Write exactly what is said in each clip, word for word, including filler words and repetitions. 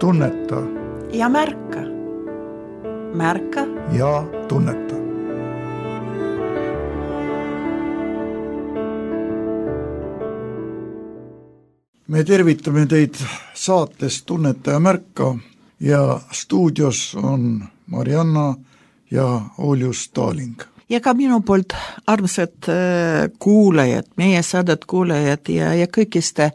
tunneta ja märka. Märka ja tunneta. Me tervitame teid saates Tunneta ja märka ja stuudios on Marianna ja Oljus Taaling. Ja ka minu poolt armsad kuulajad, meie saadet kuulajad ja, ja kõikiste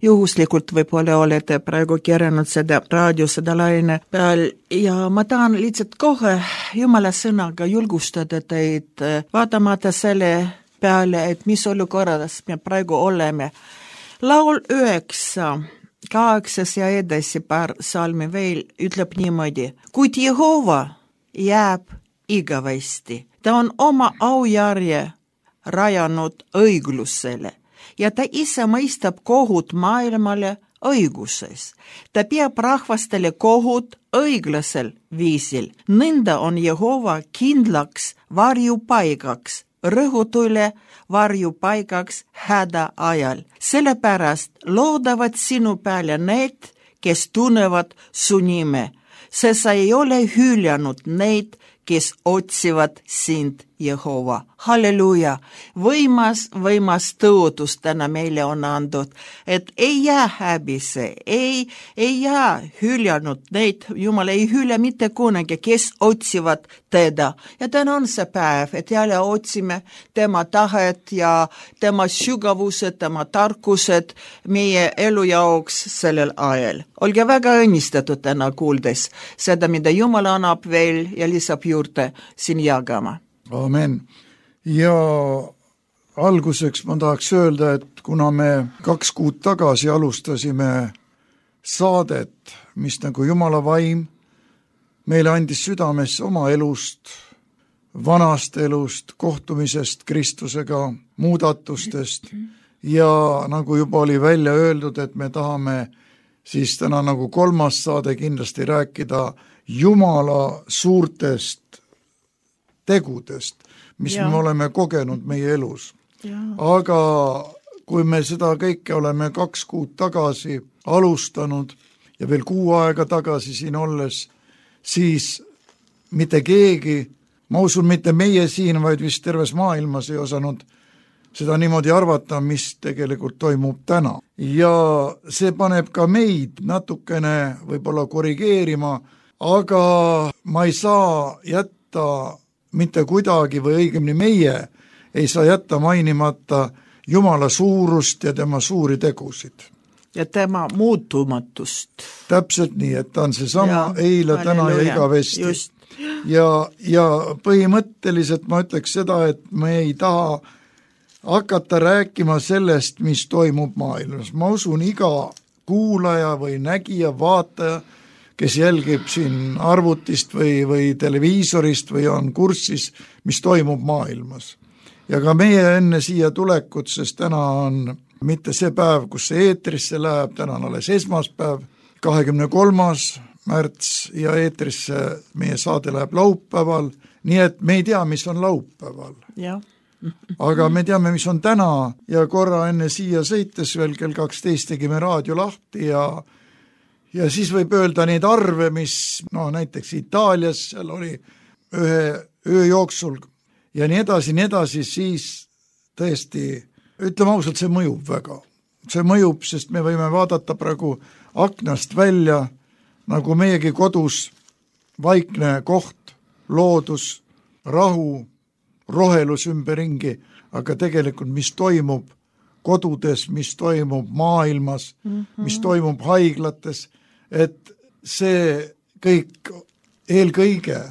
juhuslikult võib-olla olete praegu keranud seda raadio, seda laine peal ja ma tahan lihtsalt kohe Jumala sõnaga julgustada teid vaatamata selle peale, et mis olukorras me praegu oleme. Laul üheksa, kaheksas ja edasi paar salmi veel ütleb niimoodi, kuid Jehova jääb igavesti. Ta on oma aujärje rajanud õiglusele ja ta ise mõistab kohut maailmale õiguses. Ta peab rahvastele kohut õiglasel viisil. Nõnda on Jehova kindlaks varjupaigaks, rõhutule varjupaigaks häda ajal. Sellepärast loodavad sinu peale need, kes tunnevad su nime. See sa ei ole hüljanud neid, kes otsivad sind, Jehova. Halleluja! Võimas, võimas tõotus täna meile on andud, et ei jää häbise, ei, ei jää hüljanud neid, Jumal ei hülja mitte kunagi, kes otsivad teda. Ja täna on see päev, et jälle otsime tema tahet ja tema sügavused, tema tarkused meie elu jaoks sellel ajal. Olge väga õnnistatud täna kuuldes seda, mida Jumal annab veel ja lisab juurde siin jagama. Amen. Ja alguseks ma tahaks öelda, et kuna me kaks kuud tagasi alustasime saadet, mis nagu Jumala vaim meile andis südamesse oma elust, vanast elust, kohtumisest Kristusega, muudatustest ja nagu juba oli välja öeldud, et me tahame siis täna nagu kolmas saade kindlasti rääkida Jumala suurtest tegudest, mis ja. me oleme kogenud meie elus. Ja. Aga kui me seda kõike oleme kaks kuud tagasi alustanud ja veel kuu aega tagasi siin olles, siis mitte keegi, ma usun mitte meie siin, vaid vist terves maailmas ei osanud seda niimoodi arvata, mis tegelikult toimub täna. Ja see paneb ka meid natukene võib-olla korrigeerima, aga ma ei saa jätta mitte kuidagi või õigemini meie ei saa jätta mainimata Jumala suurust ja tema suuri tegusid. Ja tema muutumatust. Täpselt nii, et ta on see sama ja, eile, täna ja igavesti. Just. Ja, ja põhimõtteliselt ma ütleks seda, et me ei taha hakata rääkima sellest, mis toimub maailmas. Ma usun iga kuulaja või nägija, vaataja, kes jälgib siin arvutist või, või televiisorist või on kurssis, mis toimub maailmas. Ja ka meie enne siia tulekut, sest täna on mitte see päev, kus see eetrisse läheb, täna on alles esmaspäev, kahekümne kolmas märts ja eetrisse meie saade läheb laupäeval, nii et me ei tea, mis on laupäeval. Ja. Aga me teame, mis on täna ja korra enne siia sõites veel kell kaksteist tegime raadio lahti ja Ja siis võib öelda neid arve, mis no, näiteks Itaalias seal oli ühe öö jooksul ja nii edasi, nii edasi, siis tõesti, ütleme ausalt, see mõjub väga. See mõjub, sest me võime vaadata praegu aknast välja, nagu meiegi kodus vaikne koht, loodus, rahu, rohelus ümberringi, aga tegelikult mis toimub kodudes, mis toimub maailmas, mm-hmm. mis toimub haiglates, et see kõik eelkõige,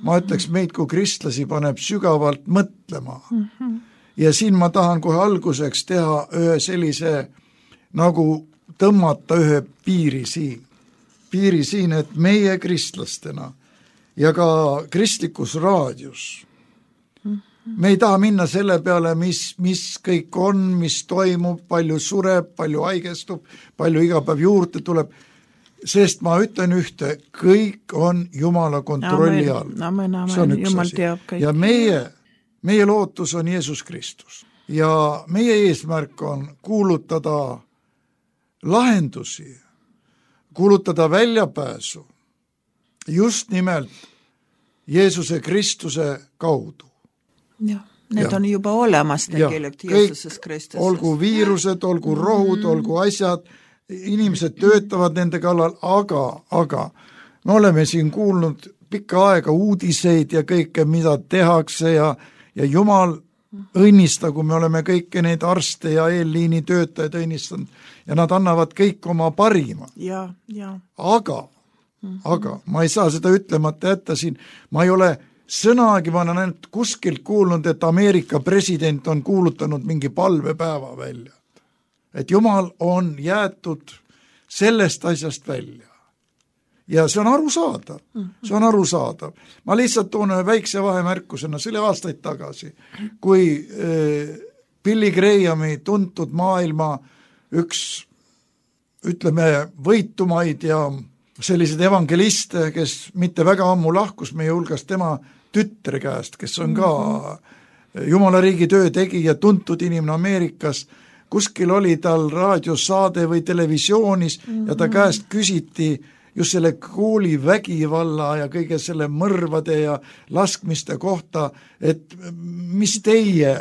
ma ütleks meid kui kristlasi paneb sügavalt mõtlema. Mm-hmm. Ja siin ma tahan kohe alguseks teha ühe sellise, nagu tõmmata ühe piiri siin. Piiri siin, et meie kristlastena ja ka kristlikus raadios me ei taha minna selle peale, mis, mis kõik on, mis toimub, palju sureb, palju haigestub, palju iga päev juurde tuleb, sest ma ütlen ühte, kõik on Jumala kontrolli all. Amen, amen, amen. Jumal teab kõik. Ja meie, meie lootus on Jeesus Kristus. Ja meie eesmärk on kuulutada lahendusi, kuulutada väljapääsu just nimelt Jeesuse Kristuse kaudu. Jah, need ja. on juba olemas tegelikult Jeesuses Kristuses. Olgu viirused, olgu rohud, mm. olgu asjad, inimesed töötavad nende kallal, aga, aga me oleme siin kuulnud pikka aega uudiseid ja kõike, mida tehakse ja, ja Jumal õnnistagu, me oleme kõiki neid arste ja eelliini töötajaid õnnistanud ja nad annavad kõik oma parima. Ja, ja. Aga, mm-hmm. aga ma ei saa seda ütlemata jätta siin, ma ei ole sõnagi, ma olen ainult kuskilt kuulnud, et Ameerika president on kuulutanud mingi palvepäeva välja. Et Jumal on jäetud sellest asjast välja. Ja see on arusaadav, see on arusaadav. Ma lihtsalt toon ühe väikse vahemärkusena, see oli aastaid tagasi, kui äh, Billy Grahami tuntud maailma üks, ütleme, võitumaid ja sellised evangeliste, kes mitte väga ammu lahkus meie hulgast tema tütre käest, kes on ka Jumala riigi töö tegija, tuntud inimene Ameerikas, kuskil oli tal raadiosaade või televisioonis mm-hmm. ja ta käest küsiti just selle kooli vägivalla ja kõige selle mõrvade ja laskmiste kohta, et mis teie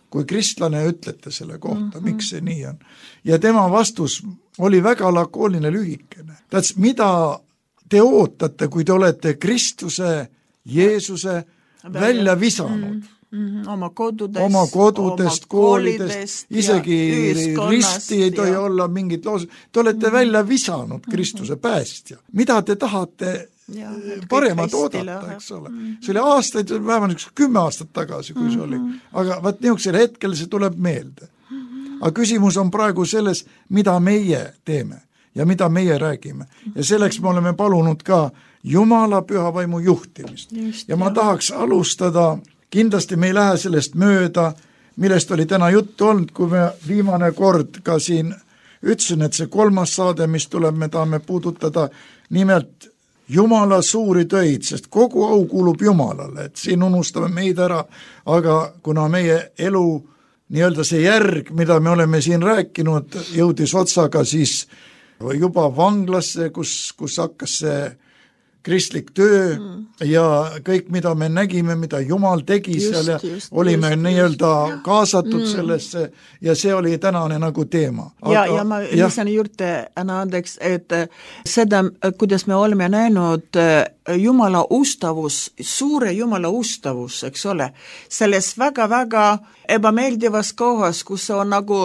kui kristlane ütlete selle kohta, mm-hmm. miks see nii on. Ja tema vastus oli väga lakooniline lühikene. Täts, mida te ootate, kui te olete Kristuse, Jeesuse välja visanud? Mm-hmm. Oma kodudest, oma kodudest, oma koolidest, isegi risti ei tohi ja. olla mingit loos. Te olete mm. välja visanud Kristuse päästja. Mida te tahate ja, paremat oodata, eks ole? Mm. See oli aastaid, vähemalt kümme aastat tagasi, kui see oli. Aga vaat niisugusel hetkel see tuleb meelde. Aga küsimus on praegu selles, mida meie teeme ja mida meie räägime. Ja selleks me oleme palunud ka Jumala püha vaimu juhtimist. Just, ja ma jah. tahaks alustada. Kindlasti me ei lähe sellest mööda, millest oli täna juttu olnud, kui me viimane kord ka siin ütlesin, et see kolmas saade, mis tuleb, me tahame puudutada nimelt Jumala suuri töid, sest kogu au kuulub Jumalale, et siin unustame meid ära, aga kuna meie elu, nii-öelda see järg, mida me oleme siin rääkinud, jõudis otsaga siis juba vanglasse, kus, kus hakkas see kristlik töö mm. ja kõik, mida me nägime, mida Jumal tegi just, seal ja just, olime just, nii-öelda just. kaasatud mm. sellesse ja see oli tänane nagu teema. Aga, ja, ja ma lisan juurde, Anna Andeks, et seda, kuidas me oleme näinud Jumala ustavus, suure Jumala ustavus, eks ole, selles väga-väga ebameeldivas kohas, kus on nagu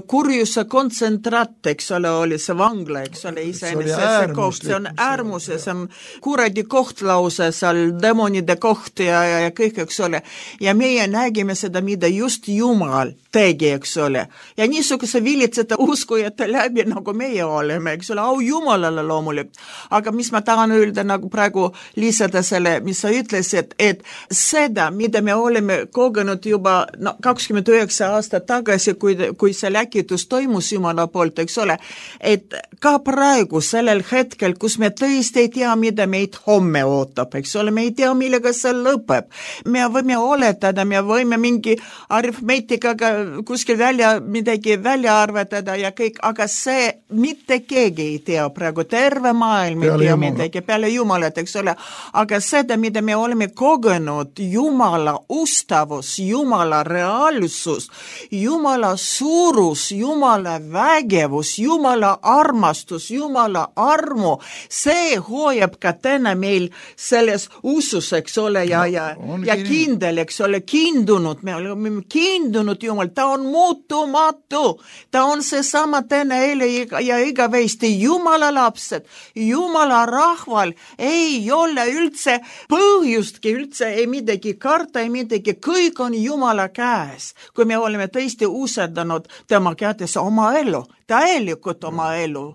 kurjuse kontsentraat, eks ole, oli see vangla, eks ole, iseenese see koht, see on äärmuse, see on kuradi koht lause, seal demonide koht ja, ja, ja kõik, eks ole. Ja meie nägime seda, mida just Jumal tegi, eks ole. Ja niisuguse vilitsete uskujate läbi, nagu meie oleme, eks ole, au Jumalale loomulikult. Aga mis ma tahan öelda nagu praegu lisada selle, mis sa ütlesid, et seda, mida me oleme kogenud juba no, kakskümmend üheksa aastat tagasi, kui, kui see läkitus toimus Jumala poolt, eks ole, et ka praegu sellel hetkel, kus me tõesti ei tea, mida meid homme ootab, eks ole, me ei tea, millega see lõpeb. Me võime oletada, me võime mingi arifmeetikaga kuskil välja, midagi välja arvatada ja kõik, aga see mitte keegi ei tea praegu, terve maailm ei tea midagi peale Jumalat, eks ole, aga seda, mida me oleme kogenud, Jumala ustavus, Jumala reaalsus, Jumala suurus, Jumala vägevus, Jumala armastus, Jumala armu, see hoiab ka täna meil selles usus, eks ole, ja, ja, ja kindel, eks ole, kindunud, me oleme kindunud Jumal, ta on muutumatu, ta on seesama täna eile ja igavesti Jumala lapsed, Jumala rahval ei ole üldse põhjustki, üldse ei midagi karta, ei midagi, kõik on Jumala käes, kui me oleme tõesti usaldanud tema kätes oma elu, täielikult oma elu.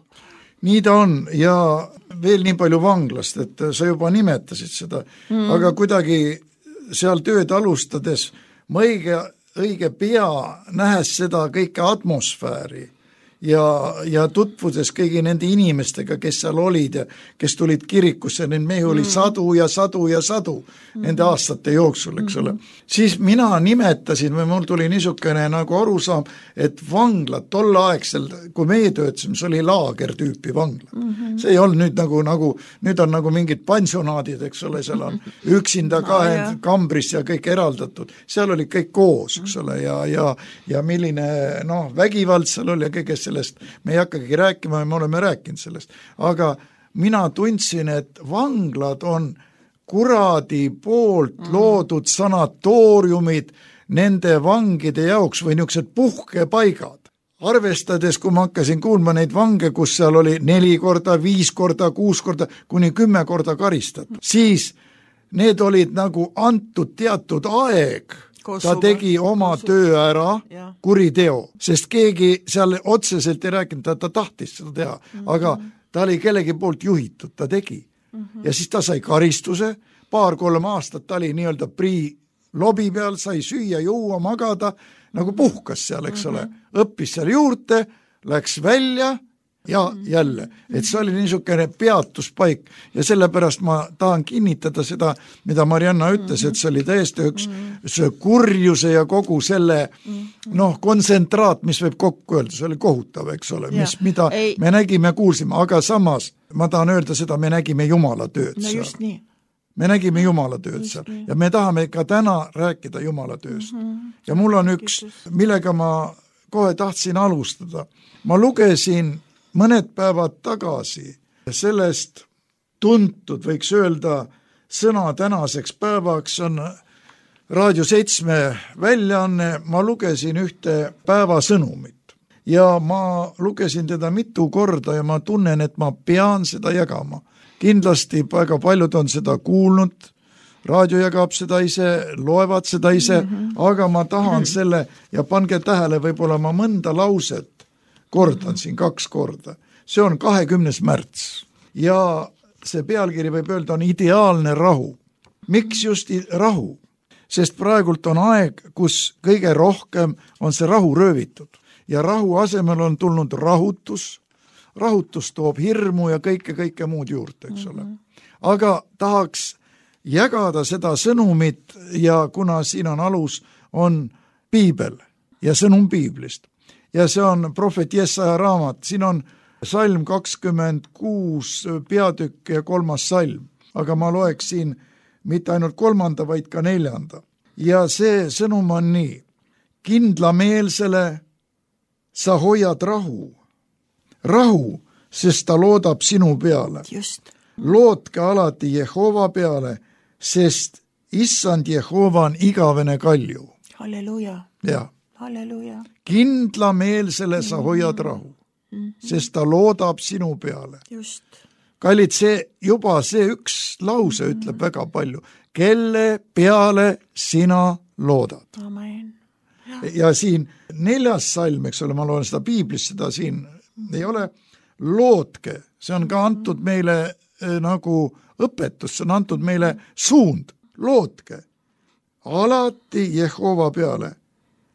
Nii ta on ja veel nii palju vanglast, et sa juba nimetasid seda, mm. aga kuidagi seal tööd alustades ma õige, õige pea nähes seda kõike atmosfääri ja, ja tutvudes kõigi nende inimestega, kes seal olid ja kes tulid kirikusse, neid mehi oli mm. sadu ja sadu ja sadu mm. nende aastate jooksul, eks ole. Mm. Siis mina nimetasin või mul tuli niisugune nagu arusaam, et vanglad tol aegsel, kui meie töötasime, see oli laager tüüpi vangla. Mm-hmm. See ei olnud nüüd nagu, nagu, nüüd on nagu mingid pensionaadid, eks ole, seal on üksinda kahe no, kambris ja kõik eraldatud. Seal oli kõik koos, eks ole, ja, ja, ja milline noh, vägivald seal oli ja kõigest sellest me ei hakkagi rääkima ja me oleme rääkinud sellest. Aga mina tundsin, et vanglad on kuradi poolt loodud sanatooriumid nende vangide jaoks või niisugused puhkepaigad. Arvestades, kui ma hakkasin kuulma neid vange, kus seal oli neli korda, viis korda, kuus korda, kuni kümme korda karistatud, siis need olid nagu antud teatud aeg. Ta tegi oma töö ära, kuriteo, sest keegi seal otseselt ei rääkinud, ta, ta tahtis seda teha, mm-hmm. aga ta oli kellegi poolt juhitud, ta tegi. Mm-hmm. Ja siis ta sai karistuse, paar-kolm aastat ta oli nii-öelda prii lobi peal, sai süüa, juua, magada, nagu puhkas seal, eks ole, mm-hmm. õppis seal juurde, läks välja ja jälle, et see oli niisugune peatuspaik ja sellepärast ma tahan kinnitada seda, mida Marianna ütles, et see oli täiesti üks see kurjuse ja kogu selle noh, kontsentraat, mis võib kokku öelda, see oli kohutav, eks ole, mis, mida ei. Me nägime, kuulsime, aga samas ma tahan öelda seda, me nägime Jumala tööd no seal. Just nii. Me nägime Jumala tööd seal ja me tahame ka täna rääkida Jumala tööst. Mm-hmm. Ja mul on üks, millega ma kohe tahtsin alustada. Ma lugesin mõned päevad tagasi sellest tuntud, võiks öelda, sõna tänaseks päevaks on Raadio seitsme väljaanne, ma lugesin ühte päevasõnumit ja ma lugesin teda mitu korda ja ma tunnen, et ma pean seda jagama. Kindlasti väga paljud on seda kuulnud, raadio jagab seda ise, loevad seda ise, mm-hmm. aga ma tahan selle ja pange tähele, võib-olla ma mõnda lauset kordan siin kaks korda. See on kahekümnes märts ja see pealkiri võib öelda on ideaalne rahu. Miks just rahu? Sest praegult on aeg, kus kõige rohkem on see rahu röövitud ja rahu asemel on tulnud rahutus. Rahutus toob hirmu ja kõike, kõike muud juurde, eks ole. Aga tahaks jagada seda sõnumit ja kuna siin on alus, on piibel ja sõnum piiblist. Ja see on prohvet Jesaja raamat, siin on salm kakskümmend kuus peatükk ja kolmas salm, aga ma loeksin mitte ainult kolmanda, vaid ka neljanda. Ja see sõnum on nii, kindlameelsele sa hoiad rahu, rahu, sest ta loodab sinu peale. Just. Loodke alati Jehova peale, sest issand Jehova on igavene kalju. Halleluja. Ja. Halleluja. Kindlameelsele sa hoiad rahu, mm-hmm. sest ta loodab sinu peale. Just. Kallid, see juba see üks lause mm-hmm. ütleb väga palju. Kelle peale sina loodad? Amen. Ja. ja siin neljas salm, eks ole, ma loen seda piiblist, seda siin mm-hmm. ei ole. Loodke, see on ka antud meile eh, nagu õpetus, see on antud meile suund. Loodke alati Jehova peale,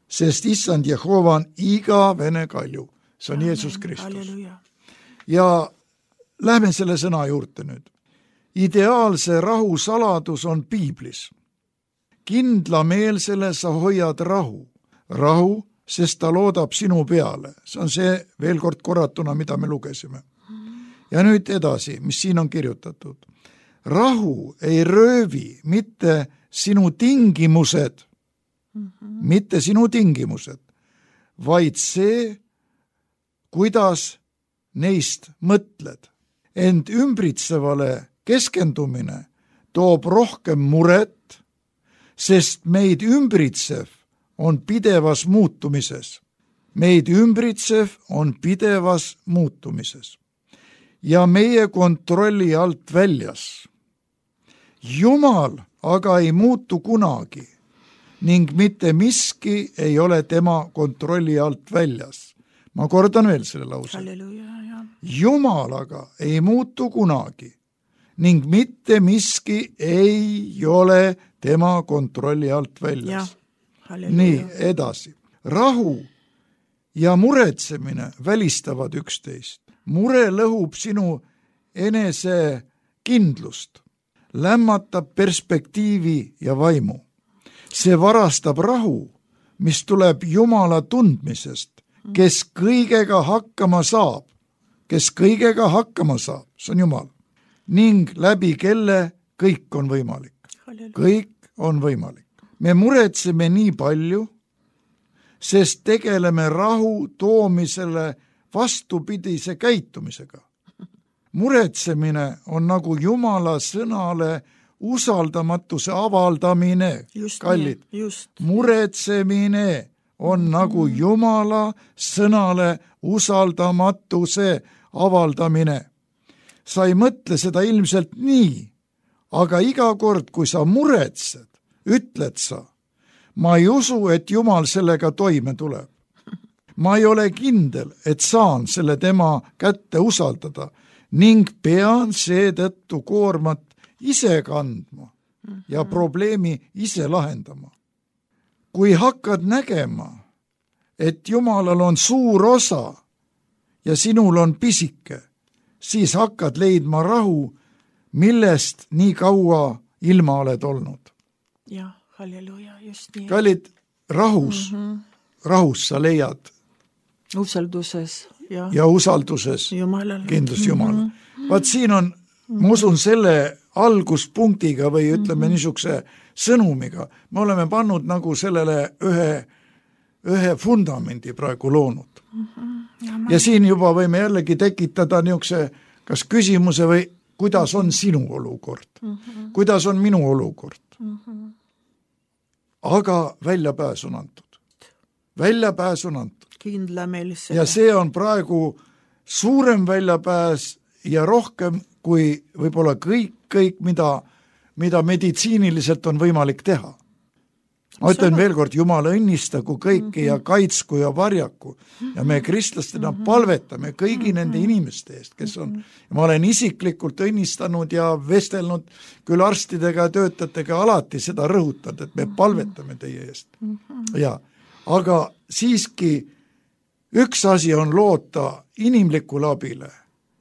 sest issand Jehova on igavene kalju. See on Amen. Jeesus Kristus. Halleluja. Ja lähme selle sõna juurde nüüd. Ideaalse rahu saladus on piiblis. Kindlameelsele sa hoiad rahu. Rahu, sest ta loodab sinu peale. See on see veel kord korratuna, mida me lugesime. Ja nüüd edasi, mis siin on kirjutatud. Rahu ei röövi mitte sinu tingimused, mm-hmm. mitte sinu tingimused, vaid see, kuidas neist mõtled. Ent ümbritsevale keskendumine toob rohkem muret, sest meid ümbritsev on pidevas muutumises. Meid ümbritsev on pidevas muutumises. Ja meie kontrolli alt väljas. Jumal aga ei muutu kunagi ning mitte miski ei ole tema kontrolli alt väljas. Ma kordan veel selle lause. Halleluja. Jumal aga ei muutu kunagi ning mitte miski ei ole tema kontrolli alt väljas. Nii, edasi. Rahu ja muretsemine välistavad üksteist. Mure lõhub sinu enese kindlust, lämmatab perspektiivi ja vaimu. See varastab rahu, mis tuleb Jumala tundmisest, kes kõigega hakkama saab, kes kõigega hakkama saab, see on Jumal, ning läbi kelle kõik on võimalik. Kõik on võimalik. Me muretseme nii palju, sest tegeleme rahu toomisele vastupidise käitumisega. Muretsemine on nagu Jumala sõnale usaldamatuse avaldamine, just kallid. Nii, just. Muretsemine on nagu Jumala sõnale usaldamatuse avaldamine. Sa ei mõtle seda ilmselt nii, aga iga kord, kui sa muretsed, ütled sa, ma ei usu, et Jumal sellega toime tuleb. Ma ei ole kindel, et saan selle tema kätte usaldada ning pean seetõttu koormat ise kandma ja probleemi ise lahendama. Kui hakkad nägema, et Jumalal on suur osa ja sinul on pisike, siis hakkad leidma rahu, millest nii kaua ilma oled olnud. Jah, halleluja, just nii. Kallid, rahus, mm-hmm. rahus sa leiad. Usalduses. Ja, ja usalduses Jumalale. Kindlus Jumala. Mm-hmm. Vaat siin on, ma usun selle alguspunktiga või ütleme mm-hmm. niisuguse sõnumiga, me oleme pannud nagu sellele ühe, ühe fundamendi praegu loonud. Mm-hmm. Ja, ma... ja siin juba võime jällegi tekitada niisuguse kas küsimuse või kuidas on sinu olukord, mm-hmm. kuidas on minu olukord. Mm-hmm. Aga väljapääs on antud. Väljapääs on antud. Kindlameelse. Ja see on praegu suurem väljapääs ja rohkem kui võib-olla kõik, kõik mida, mida meditsiiniliselt on võimalik teha. Ma ütlen veel kord, Jumal õnnistagu kõiki mm-hmm. ja kaitsku ja varjaku. Ja me kristlastena mm-hmm. palvetame kõigi mm-hmm. nende inimeste eest, kes on, ja ma olen isiklikult õnnistanud ja vestelnud küll arstidega ja töötajatega alati seda rõhutanud, et me palvetame teie eest. Mm-hmm. Ja, aga siiski üks asi on loota inimlikule abile,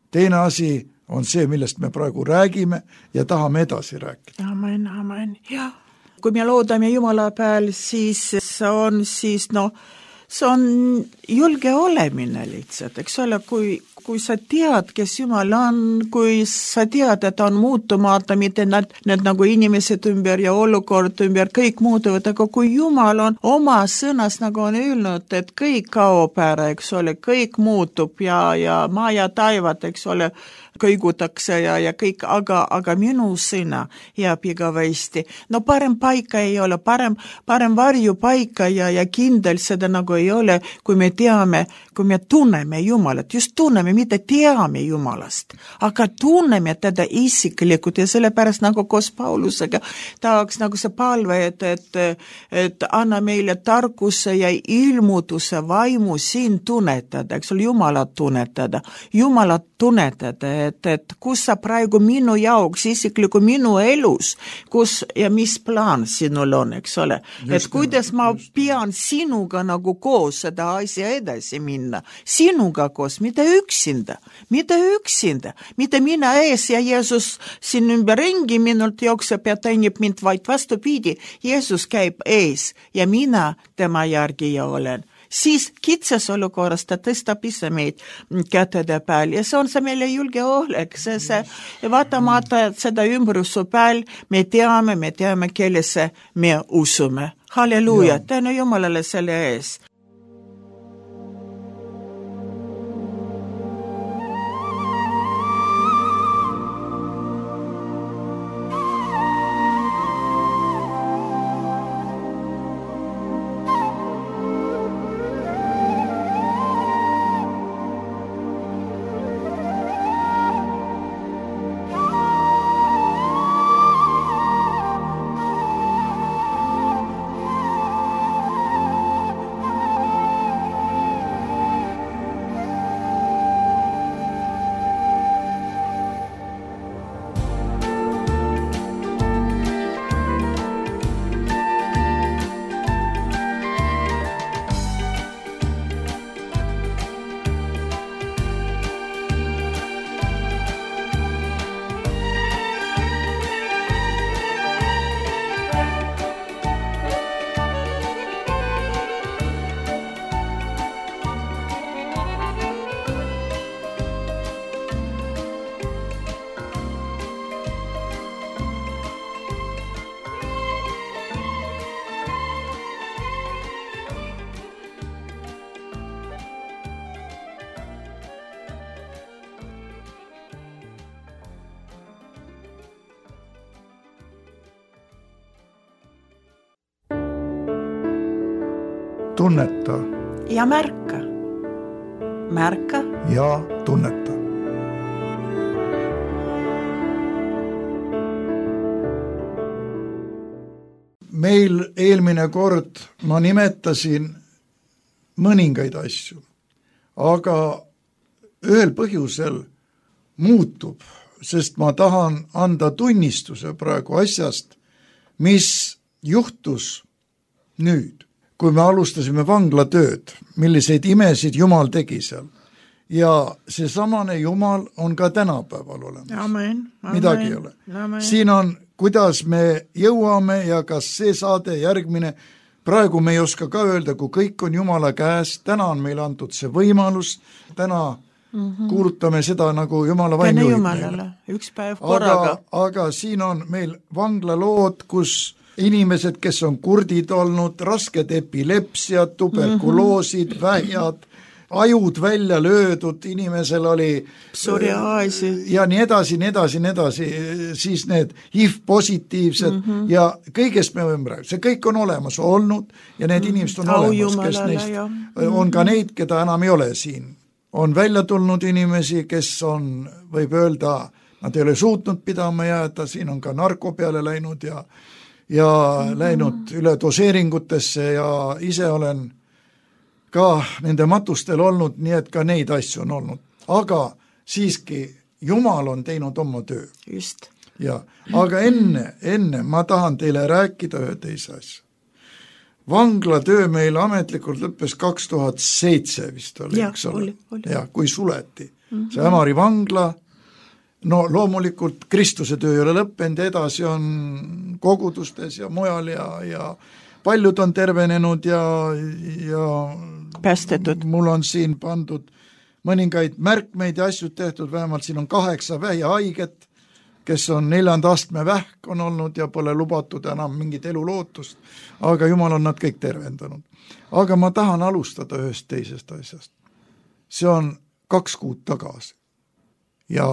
teine asi on see, millest me praegu räägime ja tahame edasi rääkida. Amen, amen, jah. Kui me loodame Jumala peal, siis see on siis, no, see on julge olemine lihtsalt, eks ole, kui, kui sa tead, kes Jumal on, kui sa tead, et on muutumata, mitte need, need nagu inimesed ümber ja olukord ümber, kõik muutuvad, aga kui Jumal on oma sõnas, nagu on öelnud, et kõik kaob ära, eks ole, kõik muutub ja, ja maa ja taivad, eks ole, kõigutakse ja, ja kõik, aga, aga minu sõna jääb igavesti. No parem paika ei ole, parem, parem varju paika ja, ja kindel seda nagu ei ole, kui me teame, kui me tunneme Jumalat, just tunneme, mitte teame Jumalast, aga tunneme teda isiklikult ja sellepärast nagu koos Paulusega tahaks nagu see palve, et, et, et anna meile tarkuse ja ilmutuse vaimu siin tunnetada, eks ole, Jumalat tunnetada, Jumalat tunnetada, et, et kus sa praegu minu jaoks, isikliku minu elus, kus ja mis plaan sinul on, eks ole, et kuidas ma pean sinuga nagu koos seda asja edasi minna, sinuga koos, mitte üksinda, mitte üksinda, mitte mina ees ja Jeesus siin ümber ringi minult jookseb ja teenib mind, vaid vastupidi, Jeesus käib ees ja mina tema järgi ja olen. Siis kitsas olukorras ta tõstab ise meid kätede peal ja see on see meile julge olek, see, see vaatamata seda ümbruse peal me teame, me teame, kellesse me usume. Halleluja, tänu Jumalale selle ees. tunneta ja märka. Märka ja tunneta. Meil eelmine kord ma nimetasin mõningaid asju, aga ühel põhjusel muutub, sest ma tahan anda tunnistuse praegu asjast, mis juhtus nüüd, kui me alustasime vanglatööd, milliseid imesid Jumal tegi seal. Ja see samane Jumal on ka tänapäeval olemas. Amen, amen, midagi ei ole. Amen. Siin on, kuidas me jõuame ja kas see saade järgmine, praegu me ei oska ka öelda, kui kõik on Jumala käes, täna on meil antud see võimalus, täna mm-hmm. kuulutame seda nagu Jumala vaim juhib meile. Üks päev korraga. Aga, aga siin on meil vanglalood, kus inimesed, kes on kurdid olnud, rasked epilepsiad, tuberkuloosid, mm-hmm. vähjad, ajud välja löödud, inimesel oli psoriaasi ja nii edasi, nii edasi, nii edasi, siis need H I V-positiivsed mm-hmm. ja kõigest me võime rääkida, see kõik on olemas olnud ja need mm-hmm. inimesed on Au olemas, kes neist ja. on ka neid, keda enam ei ole siin. On välja tulnud inimesi, kes on, võib öelda, nad ei ole suutnud pidama jääda, siin on ka narko peale läinud ja, ja mm-hmm. läinud üle doseeringutesse ja ise olen ka nende matustel olnud, nii et ka neid asju on olnud. Aga siiski Jumal on teinud oma töö. Just. Ja, aga enne, enne ma tahan teile rääkida ühe teise asja. Vanglatöö meil ametlikult lõppes kaks tuhat seitse vist oli, ja, eks ole? Oli, oli. Ja, kui suleti. Mm-hmm. See Ämari vangla, no loomulikult Kristuse töö ei ole lõppenud, edasi on kogudustes ja mujal ja, ja paljud on tervenenud ja, ja päästetud. Mul on siin pandud mõningaid märkmeid ja asjud tehtud, vähemalt siin on kaheksa vähihaiget, kes on neljanda astme vähk on olnud ja pole lubatud enam mingit elulootust, aga Jumal on nad kõik tervendanud. Aga ma tahan alustada ühest teisest asjast. See on kaks kuud tagasi ja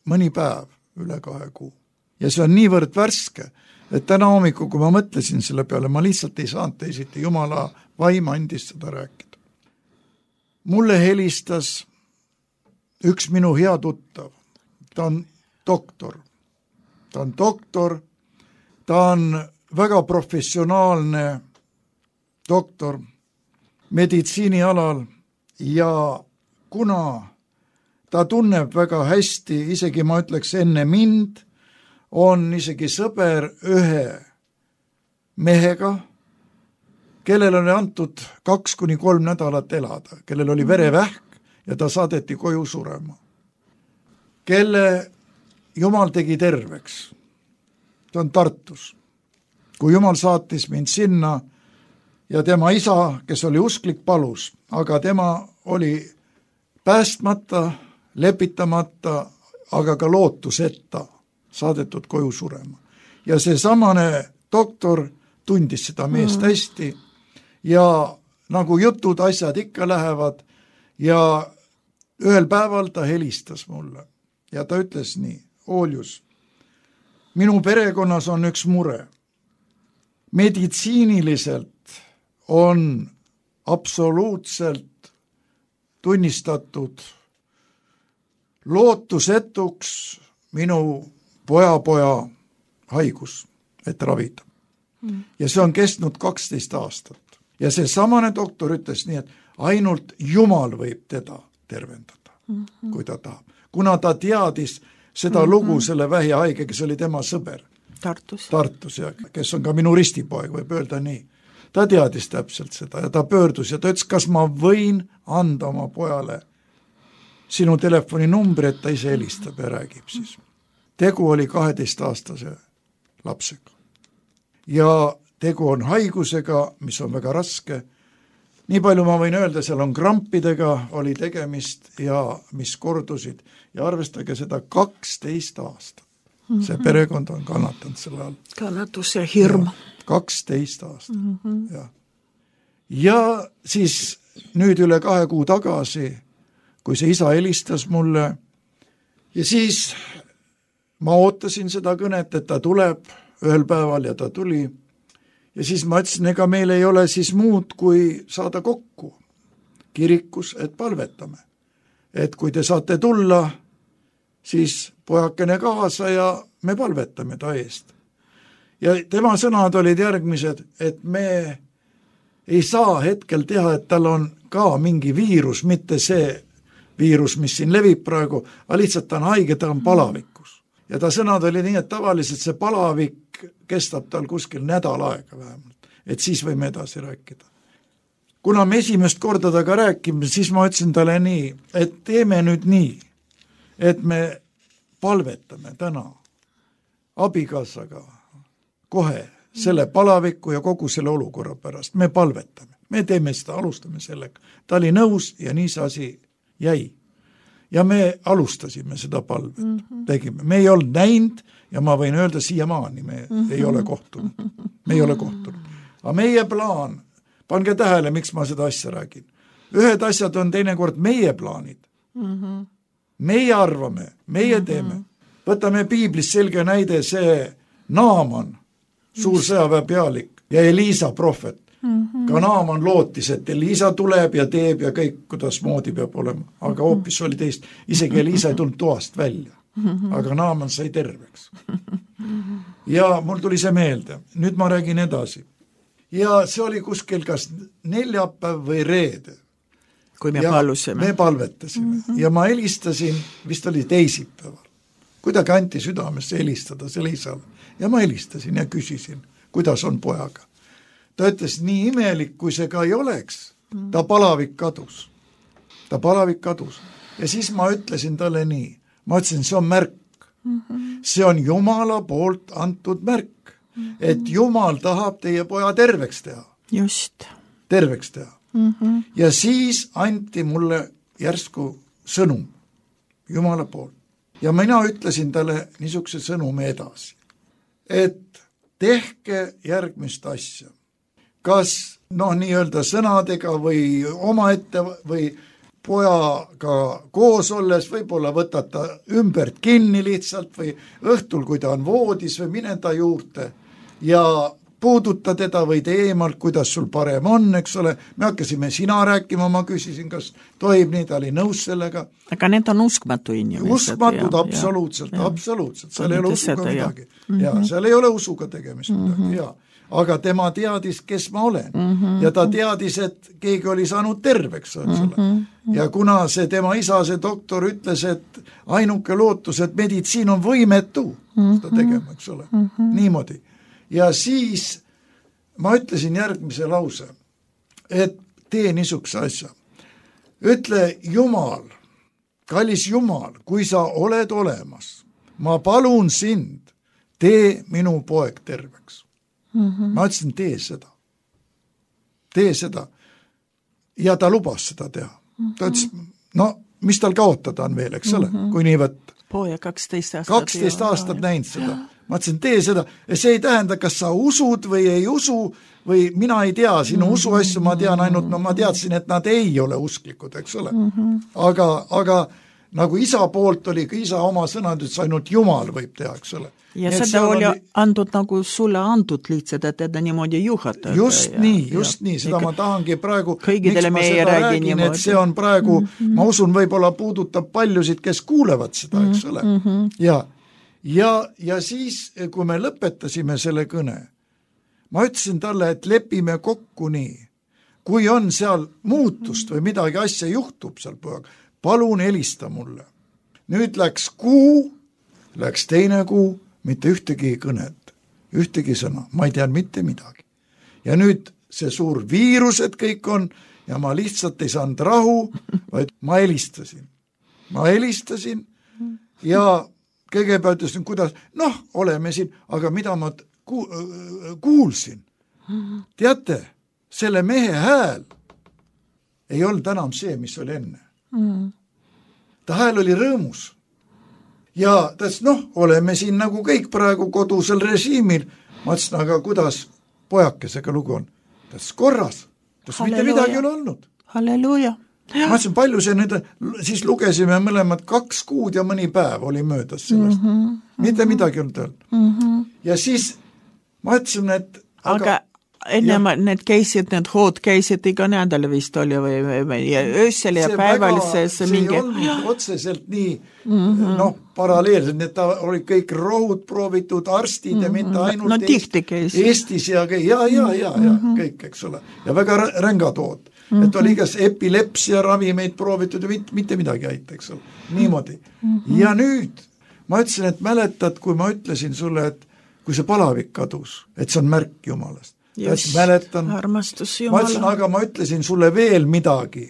mõni päev üle kahe kuu. Ja see on niivõrd värske, et täna hommikul, kui ma mõtlesin selle peale, ma lihtsalt ei saanud teisiti, Jumala vaim andis seda rääkida. Mulle helistas üks minu hea tuttav, ta on doktor, ta on doktor, ta on väga professionaalne doktor meditsiinialal ja kuna ta tunneb väga hästi, isegi ma ütleks enne mind, on isegi sõber ühe mehega, kellel oli antud kaks kuni kolm nädalat elada, kellel oli verevähk ja ta saadeti koju surema. Kelle Jumal tegi terveks. Ta on Tartus. Kui Jumal saatis mind sinna ja tema isa, kes oli usklik, palus, aga tema oli päästmata, lepitamata, aga ka lootuseta saadetud koju surema. Ja see samane doktor tundis seda meest mm. hästi ja nagu jutud, asjad ikka lähevad ja ühel päeval ta helistas mulle ja ta ütles nii, Ooljus, minu perekonnas on üks mure. Meditsiiniliselt on absoluutselt tunnistatud lootusetuks minu poja-poja haigus, et ravida. Mm. Ja see on kestnud kaksteist aastat. Ja see samane doktor ütles nii, et ainult Jumal võib teda tervendada, mm-hmm. kui ta tahab. Kuna ta teadis seda mm-hmm. lugu selle vähihaige, kes oli tema sõber. Tartus. Tartus, ja kes on ka minu ristipoeg, võib öelda nii. Ta teadis täpselt seda ja ta pöördus ja ta ütles, kas ma võin anda oma pojale sinu telefoninumbri, et ta ise helistab ja räägib siis. Tegu oli kaheteistaastase lapsega. Ja tegu on haigusega, mis on väga raske. Nii palju ma võin öelda, seal on krampidega oli tegemist ja mis kordusid ja arvestage seda kaksteist aastat. See perekond on kannatanud selle all. Kannatus ja hirm. kaksteist aastat. Mm-hmm. Ja. ja siis nüüd üle kahe kuu tagasi, kui see isa helistas mulle ja siis ma ootasin seda kõnet, et ta tuleb ühel päeval ja ta tuli ja siis ma ütlesin, ega meil ei ole siis muud, kui saada kokku kirikus, et palvetame. Et kui te saate tulla, siis pojakene kaasa ja me palvetame ta eest. Ja tema sõnad olid järgmised, et me ei saa hetkel teha, et tal on ka mingi viirus, mitte see viirus, mis siin levib praegu, aga lihtsalt ta on haige, ta on palavikus. Ja ta sõnad oli nii, et tavaliselt see palavik kestab tal kuskil nädal aega vähemalt, et siis võime edasi rääkida. Kuna me esimest korda taga rääkime, siis ma ütlesin talle nii, et teeme nüüd nii, et me palvetame täna abikaasaga kohe selle palaviku ja kogu selle olukorra pärast. Me palvetame, me teeme seda, alustame sellega. Ta oli nõus ja nii see asi jäi. Ja me alustasime seda palvet, mm-hmm. tegime. Me ei olnud näinud ja ma võin öelda siiamaani, me mm-hmm. ei ole kohtunud. Me ei ole kohtunud. Aga meie plaan, pange tähele, miks ma seda asja räägin. Ühed asjad on teinekord meie plaanid. Mm-hmm. Meie arvame, meie mm-hmm. teeme. Võtame piiblis selge näide see Naaman, suur sõjaväe pealik ja Elisa prohvet. Mm-hmm. Ka Naaman lootis, et Elisa tuleb ja teeb ja kõik, kuidas moodi peab olema. Aga hoopis oli teist. Isegi Elisa ei tulnud toast välja. Mm-hmm. Aga Naaman sai terveks. Ja mul tuli see meelde. Nüüd ma räägin edasi. Ja see oli kuskil kas neljapäev või reede. Kui me palusime. Me palvetasime. Mm-hmm. Ja ma helistasin, vist oli teisipäeval. Kuidagi anti südamesse helistada selle isale. Ja ma helistasin ja küsisin, kuidas on pojaga. Ta ütles, nii imelik, kui see ka ei oleks. Ta palavik kadus. Ta palavik kadus. Ja siis ma ütlesin talle nii. Ma ütlesin, see on märk. Mm-hmm. See on Jumala poolt antud märk. Mm-hmm. Et Jumal tahab teie poja terveks teha. Just. Terveks teha. Mm-hmm. Ja siis anti mulle järsku sõnum Jumala poolt. Ja mina ütlesin talle niisuguse sõnumi edasi, et tehke järgmist asja. Kas noh, nii-öelda sõnadega või omaette või pojaga koos olles, võib-olla võtata ümbert kinni lihtsalt või õhtul, kui ta on voodis või mine ta juurde ja puuduta teda või teemalt, kuidas sul parem on, eks ole. Me hakkasime sina rääkima, ma küsisin, kas tohib nii, ta oli nõus sellega. Aga need on uskmatu inimesed. Uskmatud, ja, absoluutselt, ja, absoluutselt. Seal ei ole usuga midagi. Ja. Mm-hmm. Ja, seal ei ole usuga tegemist midagi, mm-hmm. ja. Aga tema teadis, kes ma olen. Mm-hmm. Ja ta teadis, et keegi oli saanud terveks, mm-hmm. ja kuna see tema isa, see doktor ütles, et ainuke lootus, et meditsiin on võimetu mm-hmm. seda tegema, eks ole. Mm-hmm. Niimoodi. Ja siis ma ütlesin järgmise lause, et tee niisuguse asja. Ütle Jumal, kallis Jumal, kui sa oled olemas, ma palun sind, tee minu poeg terveks. Mm-hmm. Ma ütlesin, tee seda. Tee seda. Ja ta lubas seda teha. Mm-hmm. Ta ütles, no mis tal kaotada on veel, eks ole, mm-hmm. kui nii võtta. Poja kaksteist aastat. kaksteist aastat näinud seda. Ma ütlesin, tee seda. Ja see ei tähenda, kas sa usud või ei usu, või mina ei tea, sinu mm-hmm. usuasju ma tean ainult, no ma teadsin, et nad ei ole usklikud, eks ole. Mm-hmm. Aga, aga nagu isa poolt oli, kui isa oma sõnad, et ainult Jumal võib teha, eks ole. Ja nii, seda oli antud nagu sulle antud lihtsalt, et teda niimoodi juhatada. Just ja, nii, just ja, nii, seda ma tahangi praegu, miks ma seda räägin, niimoodi. Et see on praegu, mm-hmm. ma usun, võib-olla puudutab paljusid, kes kuulevad seda, eks ole. Mm-hmm. Ja, ja, ja siis, kui me lõpetasime selle kõne, ma ütlesin talle, et lepime kokku nii, kui on seal muutust või midagi asja juhtub seal pojaga, palun helista mulle. Nüüd läks kuu, läks teine kuu, mitte ühtegi kõnet, ühtegi sõna, ma ei tean mitte midagi. Ja nüüd see suur viirus, et kõik on, ja ma lihtsalt ei saanud rahu, vaid ma helistasin. Ma helistasin ja kõigepealt ütlesin, kuidas, noh, oleme siin, aga mida ma ku, kuulsin. Teate, selle mehe hääl ei olnud enam see, mis oli enne. Ta hääl oli rõõmus. Ja ta ütles, noh, oleme siin nagu kõik praegu kodusel režiimil. Ma ütlesin, aga kuidas pojakesega lugu on? Ta ütles, korras. Ta ütles, mitte midagi ei ole olnud. Halleluuja. Ma ütlesin, palju see nüüd, siis lugesime mõlemad kaks kuud ja mõni päev oli möödas sellest. Mm-hmm. Mitte midagi ei olnud olnud. Mm-hmm. Ja siis ma ütlesin, et aga, aga, ennem ja. Need käisid, need hood käisid iga nädal vist oli või, või, või ja öösel ja päeval see, see mingi... See ei olnud otseselt nii mm-hmm. noh, paralleelselt, need ta oli kõik rohud proovitud, arstid mm-hmm. ja mitte ainult no, Eest, Eestis ja, ja, ja, ja, ja mm-hmm. kõik, eks ole. Ja väga rängad hood. Mm-hmm. Et oli igas epilepsia ravimeid proovitud ja mitte, mitte midagi aita, eks ole. Niimoodi. Mm-hmm. Ja nüüd ma ütlesin, et mäletad, kui ma ütlesin sulle, et kui see palavik kadus, et see on märk Jumalast. Just, mäletan, armastus Jumala. Ma ütlesin, aga ma ütlesin sulle veel midagi,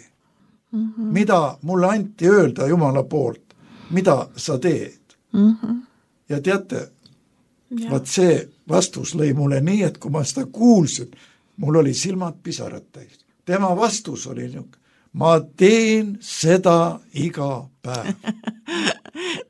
mm-hmm. mida mulle anti öelda Jumala poolt, mida sa teed. Mm-hmm. Ja teate, ja. Vaat see vastus lõi mulle nii, et kui ma seda kuulsin, mul oli silmad pisarad täis. Tema vastus oli niisugune, ma teen seda iga päev.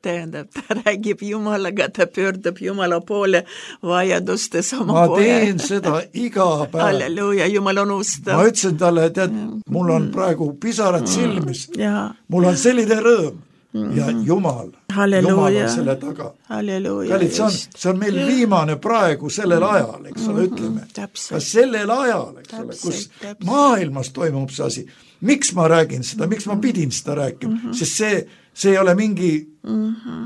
Tähendab, ta räägib Jumalaga, ta pöördab Jumala poole vajadustes oma ma poole. Ma teen seda iga päev. Halleluuja, Jumal on ustav. Ma ütlesin talle, tead, mul on praegu pisarad silmis. Ja. Mul on selline rõõm. Ja Jumal, Halleluja. Jumal on selle taga. Halleluja. Kallid, see, on, see on meil viimane praegu sellel ajal, eks ole, ütleme. Ka sellel ajal, eks ole, kus maailmas toimub see asi. Miks ma räägin seda, miks ma pidin seda rääkima? Mm-hmm. Sest see, see ei ole mingi mm-hmm.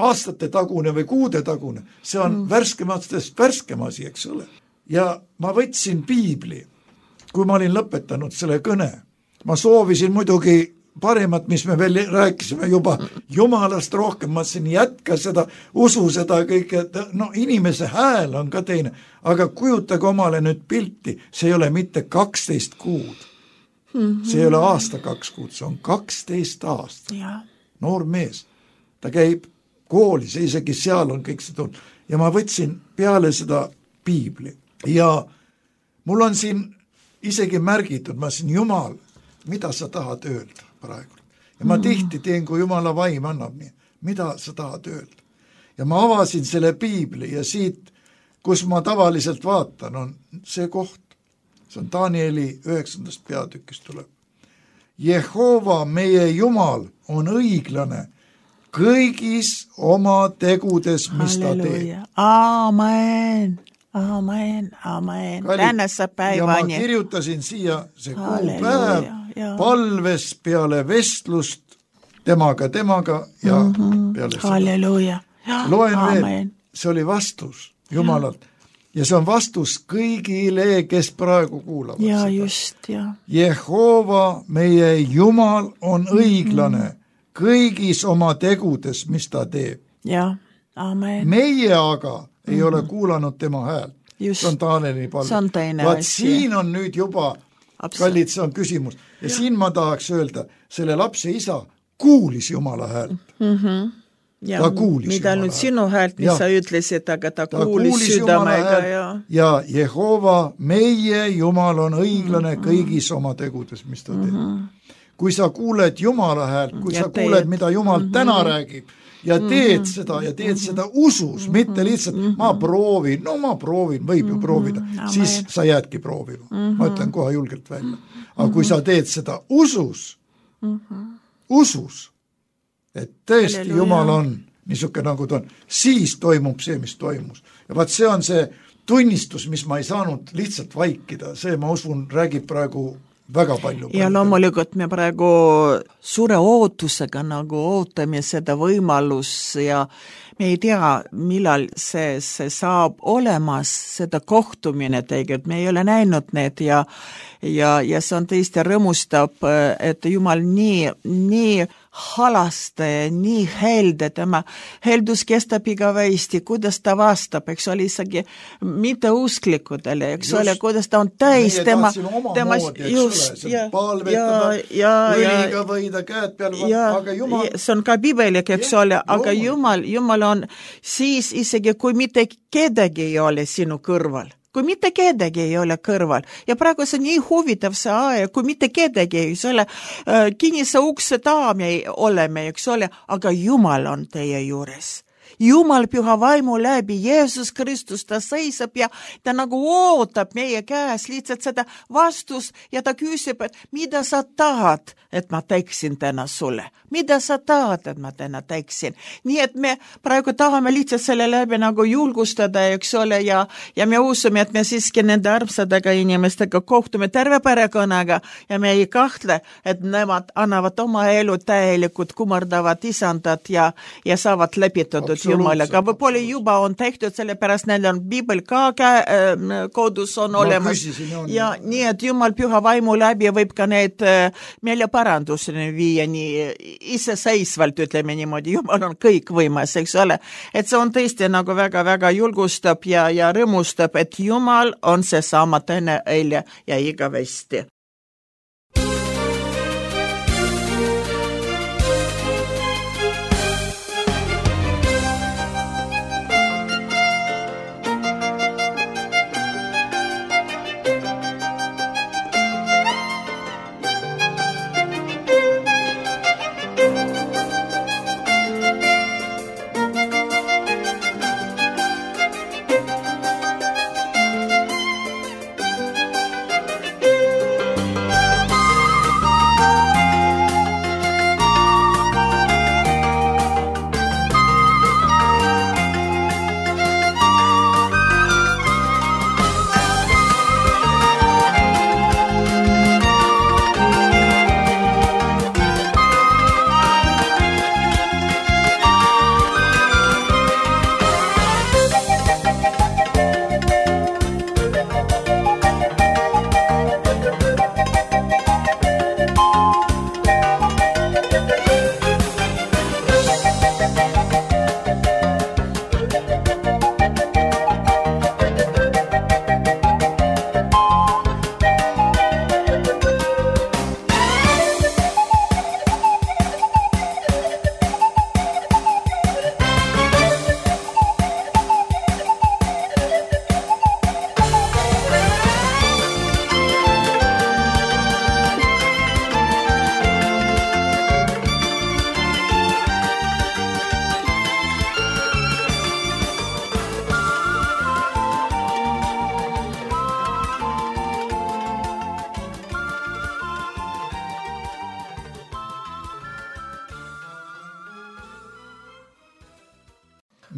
aastate tagune või kuude tagune. See on mm-hmm. värskematest värskem asi, eks ole. Ja ma võtsin piibli, kui ma olin lõpetanud selle kõne. Ma soovisin muidugi parimat, mis me veel rääkisime juba Jumalast rohkem, ma siin jätka seda, usu seda kõike, no inimese hääl on ka teine, aga kujutage omale nüüd pilti, see ei ole mitte kaksteist kuud, see ei ole aasta kaks kuud, see on kaksteist aastat, noor mees, ta käib koolis, isegi seal on kõik see tulnud, ja ma võtsin peale seda piibli, ja mul on siin isegi märgitud, ma siin Jumal, mida sa tahad öelda praegu. Ja ma tihti teen, kui Jumala vaim annab nii, mida sa tahad öelda. Ja ma avasin selle piibli ja siit, kus ma tavaliselt vaatan, on see koht. See on Danieli üheksandast peatükist tuleb. Jehova, meie Jumal, on õiglane kõigis oma tegudes, mis Halleluja. Ta teeb. Amen. Amen, amen. Tänässä päiväni. Ja ma kirjutasin siia see kuupäev palves peale vestlust temaga, temaga ja mm-hmm. peale seda. Halleluja. Loen amen. Veel, see oli vastus Jumalalt. Ja see on vastus kõigile, kes praegu kuulavad ja, seda. Just, ja. Jehova, meie Jumal, on õiglane mm-hmm. kõigis oma tegudes, mis ta teeb. Ja, amen. Meie aga ei mm-hmm. ole kuulanud tema häält. Just. See on Taaneli palve. See on teine Vaat asi. Siin on nüüd juba, kallid, see on küsimus. Ja, ja siin ma tahaks öelda, selle lapse isa kuulis Jumala häält. Mm-hmm. Ja, ta kuulis mida Jumala nüüd sinu häält, mis ja. Sa ütlesid, aga ta, ta kuulis, kuulis südamega. Ja. ja Jehova, meie Jumal on õiglane mm-hmm. kõigis oma tegudes, mis ta teeb. Mm-hmm. Kui sa kuuled Jumala häält, kui ja sa teed. Kuuled, mida Jumal mm-hmm. täna räägib, ja teed mm-hmm. seda ja teed mm-hmm. seda usus, mm-hmm. mitte lihtsalt mm-hmm. ma proovin, no ma proovin, võib ju mm-hmm. proovida, Amen. Siis sa jäädki proovima. Mm-hmm. Ma ütlen kohe julgelt välja. Aga mm-hmm. kui sa teed seda usus, mm-hmm. usus, et tõesti Halleluja. Jumal on niisugune nagu ta on, siis toimub see, mis toimus. Ja vaat see on see tunnistus, mis ma ei saanud lihtsalt vaikida, see ma usun räägib praegu väga palju. Ja loomulikult me praegu suure ootusega nagu ootame seda võimalus ja me ei tea, millal see, see saab olemas, seda kohtumine tegelikult, me ei ole näinud need ja, ja, ja see on tõesti rõõmustab, et Jumal nii, nii halasta ja nii helde, tema heldus kestab igavesti, kuidas ta vastab, eks ole isegi mitte usklikudele, eks just, ole, kuidas ta on täis tema, tema just, ja, palvetada, ja, õliga võida käed peal, ja, aga Jumal see on ka pibelik, eks ja, ole, aga Jumal, Jumal on siis isegi, kui mitte kedagi ei ole sinu kõrval, kui mitte kedagi ei ole kõrval. Ja praegu see on nii huvitav see aeg, kui mitte kedagi ei ole, kinnise ukse taam ei oleme, eks ole, aga Jumal on teie juures. Jumal püha vaimu läbi, Jeesus Kristus, ta seisab ja ta nagu ootab meie käes lihtsalt seda vastust ja ta küsib, et mida sa tahad, et ma teeksin täna sulle? Mida sa tahad, et ma täna teeksin? Nii et me praegu tahame lihtsalt selle läbi nagu julgustada, eks ole, ja, ja me usume, et me siiski nende armsadega inimestega kohtume terve perekonnaga ja me ei kahtle, et nemad annavad oma elu täielikult kummardavad isandad ja, ja saavad läbitatud Jumalaga. Võib-olla juba on tehtud, sellepärast neil on Biibel ka äh, kodus on olemas. Küsisin, on. Ja nii, et Jumal püha vaimu läbi võib ka need äh, meeleparanduseni viia nii iseseisvalt, ütleme niimoodi. Jumal on kõik võimas, eks ole. Et see on tõesti nagu väga-väga julgustab ja, ja rõõmustab, et Jumal on see sama täna, eile ja igavesti.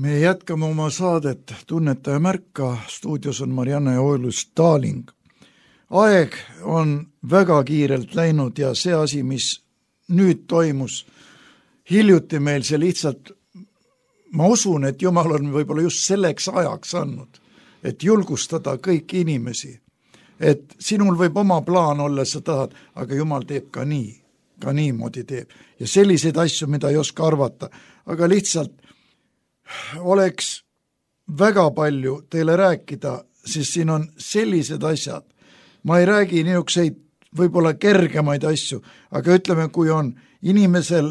Me jätkame oma saadet Tunnetaja märka, stuudios on Marianne Oilus-Staling. Aeg on väga kiirelt läinud ja see asi, mis nüüd toimus, hiljuti meil see lihtsalt, ma usun, et Jumal on võib-olla just selleks ajaks andnud, et julgustada kõiki inimesi, et sinul võib oma plaan olla, sa tahad, aga Jumal teeb ka nii, ka niimoodi teeb. Ja selliseid asju, mida ei oska arvata, aga lihtsalt oleks väga palju teile rääkida, siis siin on sellised asjad. Ma ei räägi niisuguseid võib-olla kergemaid asju, aga ütleme, kui on inimesel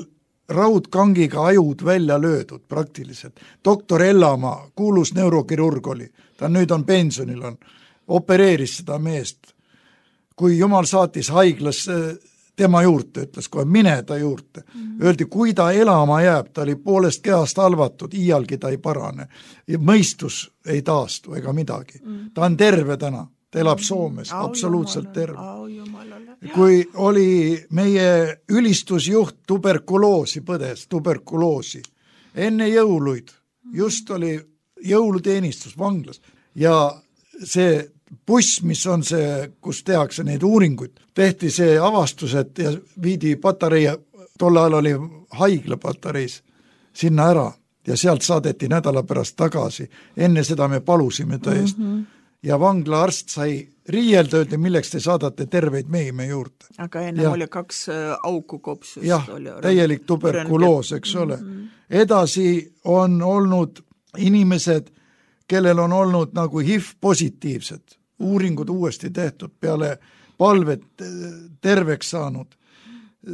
raudkangiga ajud välja löödud praktiliselt. Doktor Ellamaa, kuulus neurokirurg oli, ta nüüd on pensionil, on, opereeris seda meest. Kui Jumal saatis haiglasse tema juurde, ütles kohe, mine ta juurde. Mm-hmm. Öeldi, kui ta elama jääb, ta oli poolest kehast halvatud, iialgi ta ei parane. Ja mõistus ei taastu ega midagi. Mm-hmm. Ta on terve täna, ta elab Soomes, au absoluutselt terve. Kui oli meie ülistusjuht tuberkuloosi põdes, tuberkuloosi, enne jõuluid, just oli jõuluteenistus vanglas ja see buss, mis on see, kus tehakse neid uuringuid, tehti see avastus, et ja viidi patarei, tol ajal oli haigla patareis, sinna ära ja sealt saadeti nädala pärast tagasi. Enne seda me palusime tõest. Mm-hmm. Ja vangla arst sai riielda, öeldi, milleks te saadate terveid mehi me juurde. Aga enne ja, oli kaks auku kopsust. Jah, oli täielik tuberkuloos, eks ole. Mm-hmm. Edasi on olnud inimesed, kellel on olnud nagu H I V positiivsed, uuringud uuesti tehtud, peale palvet terveks saanud.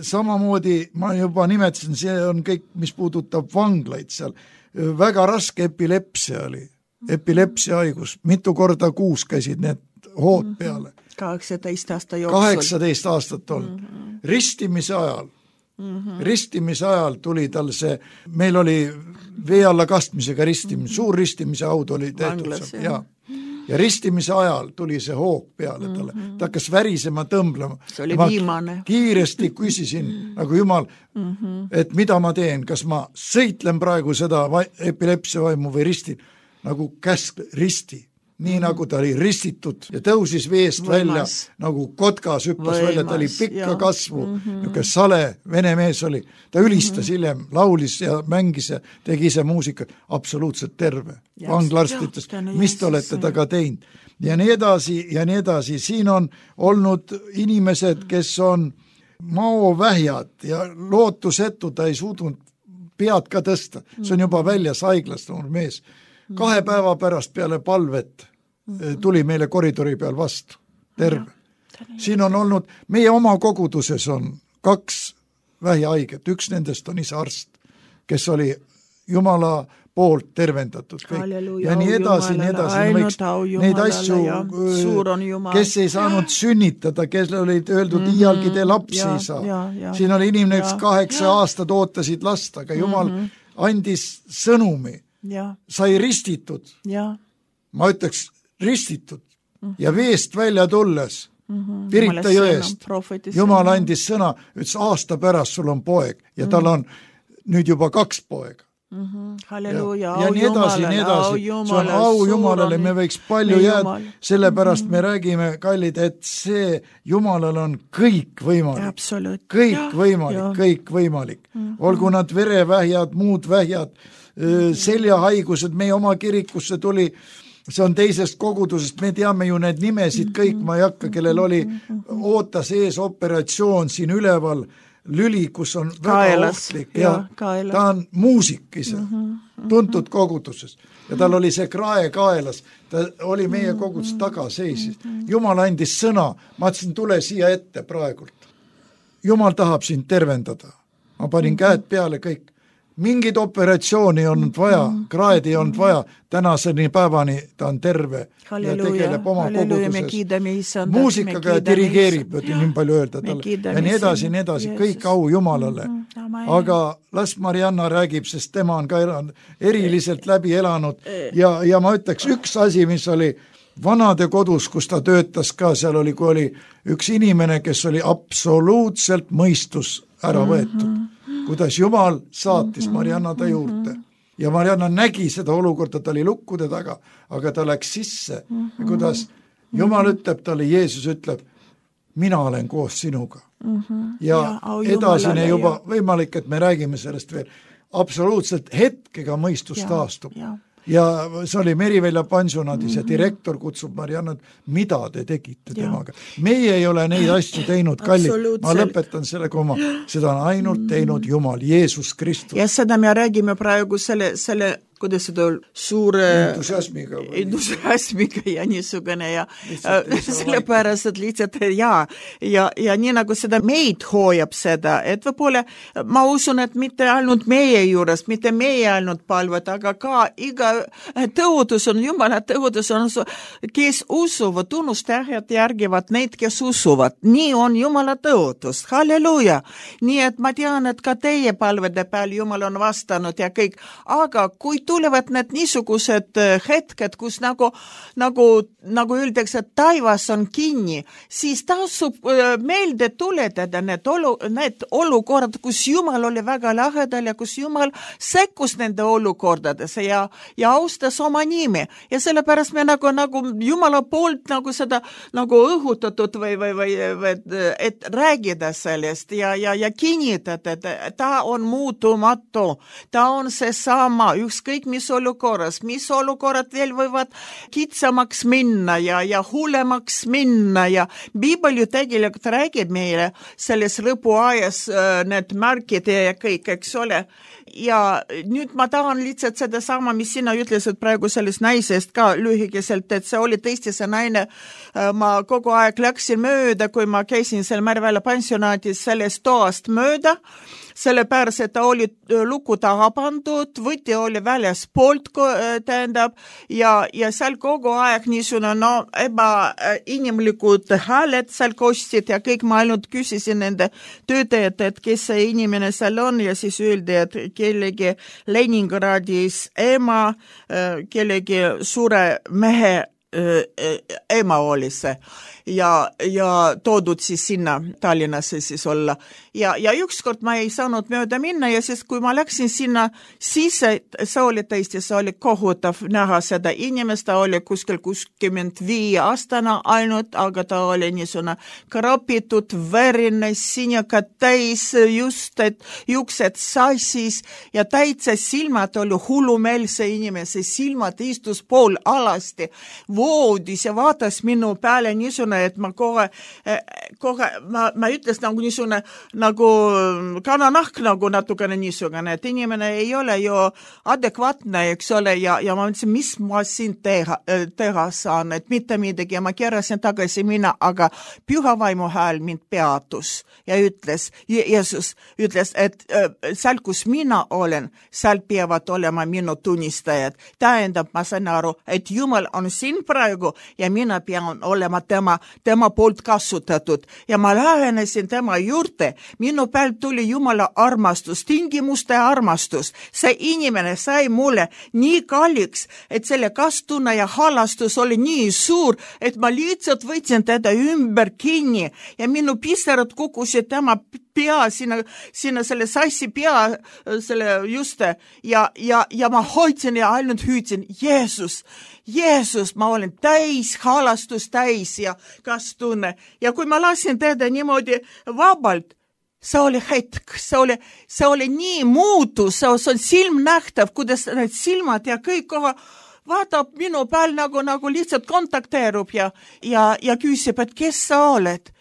Samamoodi ma juba nimetasin, see on kõik, mis puudutab vanglaid seal. Väga raske epilepsia oli, epilepsia haigus, mitu korda kuus käisid need hood peale. kaheksateist aasta jooksul. kaheksateist aastat olnud. Mm-hmm. Ristimise ajal Mm-hmm. ristimise ajal tuli tal see, meil oli vee alla kastmisega ristimine, mm-hmm. suur ristimise haud oli tehtud Vanglas, seal, ja. ja ristimise ajal tuli see hoog peale talle, mm-hmm. ta hakkas värisema, tõmblema. See oli viimane. Kiiresti küsisin, nagu Jumal, mm-hmm. et mida ma teen, kas ma sõitlen praegu seda epilepsia vaimu või ristin, nagu käsk risti. Nii mm-hmm. nagu ta oli ristitud ja tõusis veest Võimas. välja, nagu kotkas hüppas Võimas, välja, ta oli pikka ja. kasvu, mm-hmm. niisugune sale vene mees oli, ta ülistas mm-hmm. hiljem, laulis ja mängis ja tegi ise muusika, absoluutselt terve. Vanglarst ütles, mis te olete taga teinud? Ja nii edasi ja nii edasi, siin on olnud inimesed, kes on maovähjad ja lootusetu, ta ei suutnud pead ka tõsta, see on juba väljas haiglast noor mees. Kahe päeva pärast peale palvet tuli meile koridori peal vastu, terve. Siin on olnud, meie oma koguduses on kaks vähihaiget, üks nendest on isa arst, kes oli Jumala poolt tervendatud kõik. Halleluja, ja nii edasi, nii edasi, võiks neid asju, kes ei saanud sünnitada, kes olid öeldud mm-hmm. iialgi te lapsi ja, ei saa. Ja, ja, siin oli inimene, üks kaheksa ja. aastat ootasid last, aga Jumal mm-hmm. andis sõnumi, ja. sai ristitud, ja. ma ütleks ristitud mm-hmm. ja veest välja tulles mm-hmm. Pirita jõest, Jumal andis sõna, ütles aasta pärast sul on poeg ja mm-hmm. tal on nüüd juba kaks poega. Mm-hmm. Halleluja, ja, ja nii edasi, nii edasi, see on au Jumalale, me võiks palju jääda, sellepärast mm-hmm. me räägime, kallid, et see Jumalal on kõik võimalik, kõik ja, võimalik, ja. kõik võimalik, mm-hmm. olgu nad verevähjad, muud vähjad, mm-hmm. seljahaigused, meie oma kirikusse tuli, see on teisest kogudusest, me teame ju need nimesid kõik, ma ei hakka, kellel oli, ootas ees operatsioon siin üleval, lüli, kus on väga kaelas, ohtlik ja, ja ta on muusik ise, mm-hmm, tuntud mm-hmm. koguduses ja tal oli see krae kaelas, ta oli meie koguduses taga seisis. Jumal andis sõna, ma ütlesin, tule siia ette praegult. Jumal tahab sind tervendada. Ma panin mm-hmm. käed peale kõik. Mingid operatsiooni on vaja, kraed ei olnud vaja, tänaseni päevani ta on terve halleluja, ja tegeleb oma koguduses. Muusikaga ja dirigeerib, võtin nii palju öelda talle. Ja nii edasi, nii edasi, kõik au Jumalale. Aga las Marianna räägib, sest tema on ka elanud, eriliselt läbi elanud ja, ja ma ütleks üks asi, mis oli vanade kodus, kus ta töötas ka, seal oli, kui oli üks inimene, kes oli absoluutselt mõistus ära võetud. Mm-hmm. kuidas Jumal saatis Marianna ta juurde. Ja Marianna nägi seda olukorda, ta oli lukkude taga, aga ta läks sisse. Ja kuidas Jumal ütleb talle, Jeesus ütleb, mina olen koos sinuga. Ja edasine juba võimalik, et me räägime sellest veel, absoluutselt hetkega mõistus taastub. Ja see oli Merivälja pansionaadis ja direktor kutsub Mariannat, mida te tegite temaga. Meie ei ole neid asju teinud, kallid. Ma lõpetan selle koma. Seda on ainult teinud Jumal, Jeesus Kristus. Ja seda me räägime praegu selle, selle kuidas seda suure entusiasmiga, entusiasmiga ja niisugune ja sellepärast, et lihtsalt ja, ja, ja nii nagu seda meid hoojab seda, et võib-olla ma usun, et mitte ainult meie juures, mitte meie ainult palvad, aga ka iga tõotus on, Jumala tõotus on, kes usuvad, tunnustajad järgivad neid, kes usuvad. Nii on Jumala tõotus. Halleluja! Nii et ma tean, et ka teie palvede peal Jumal on vastanud ja kõik, aga kui tulevad need niisugused hetked, kus nagu, nagu, nagu öeldakse, et taivas on kinni, siis tasub meelde tuletada need, olu, need olukorrad, kus Jumal oli väga lahedal ja kus Jumal sekkus nende olukordadesse ja, ja austas oma nimi. Ja sellepärast me nagu, nagu Jumala poolt nagu seda nagu õhutatud või, või, või, või et räägida sellest ja, ja, ja kinnitada, et ta on muutumatu, ta on see sama, ükskõik mis olukorras, mis olukorrad veel võivad kitsamaks minna ja, ja hullemaks minna ja Biibel ju tegelikult räägib meile selles lõpuajas need märkid ja kõik, eks ole. Ja nüüd ma tahan lihtsalt seda sama, mis sina ütlesid praegu sellest naisest ka lühikeselt, et see oli tõesti see naine, ma kogu aeg läksin mööda, kui ma käisin seal Merivälja pensionaatis sellest toast mööda, sellepärast, et ta oli luku taha pandud, võti oli väljas poolt, tähendab, ja, ja seal kogu aeg niisugune, no, ebainimlikud hääled seal kostsid ja kõik ma ainult küsisin nende töötajad, et kes see inimene seal on ja siis öeldi, et kellegi Leningradis ema, kellegi suure mehe ema oli see ja, ja toodud siis sinna Tallinnasse siis olla. Ja, ja ükskord ma ei saanud mööda minna ja siis kui ma läksin sinna sisse, see oli tõesti, see oli kohutav näha seda inimest, ta oli kuskil kuuskümmend viie aastana ainult, aga ta oli niisugune krapitud, verine, sinjaka täis, just et juuksed sassis ja täitsa silmad oli hullumeelse inimese, silmad istus pool alasti voodis ja vaatas minu peale niisugune, et ma kohe, kohe ma, ma ütles nagu niisugune, nagu kananahk nagu natukene niisugune, et inimene ei ole ju adekvaatne, eks ole, ja, ja ma mõtlesin, mis ma siin teha, teha saan, et mitte midagi ja ma keerasin tagasi minna, aga püha vaimu hääl mind peatus ja ütles, Jeesus ütles, et seal, kus mina olen, seal peavad olema minu tunnistajad. Tähendab, ma sain aru, et Jumal on siin praegu ja mina pean olema tema, tema poolt kasutatud ja ma lähenesin tema juurde. Minu pealt tuli Jumala armastus, tingimuste armastus. See inimene sai mulle nii kalliks, et selle kastunne ja halastus oli nii suur, et ma lihtsalt võtsin teda ümber kinni ja minu pisarad kukkusid tema pea, sinna, sinna selle sassi pea, selle juste ja, ja, ja ma hoidsin ja ainult hüüdsin, Jeesus, Jeesus, ma olen täis, halastus täis ja kastunne. Ja kui ma lasin teda niimoodi vabalt, see oli hetk, see oli, see oli nii muutus, see on silmnähtav, kuidas need silmad ja kõik koha vaatab minu peal nagu, nagu lihtsalt kontakteerub ja, ja, ja küsib, et kes sa oled.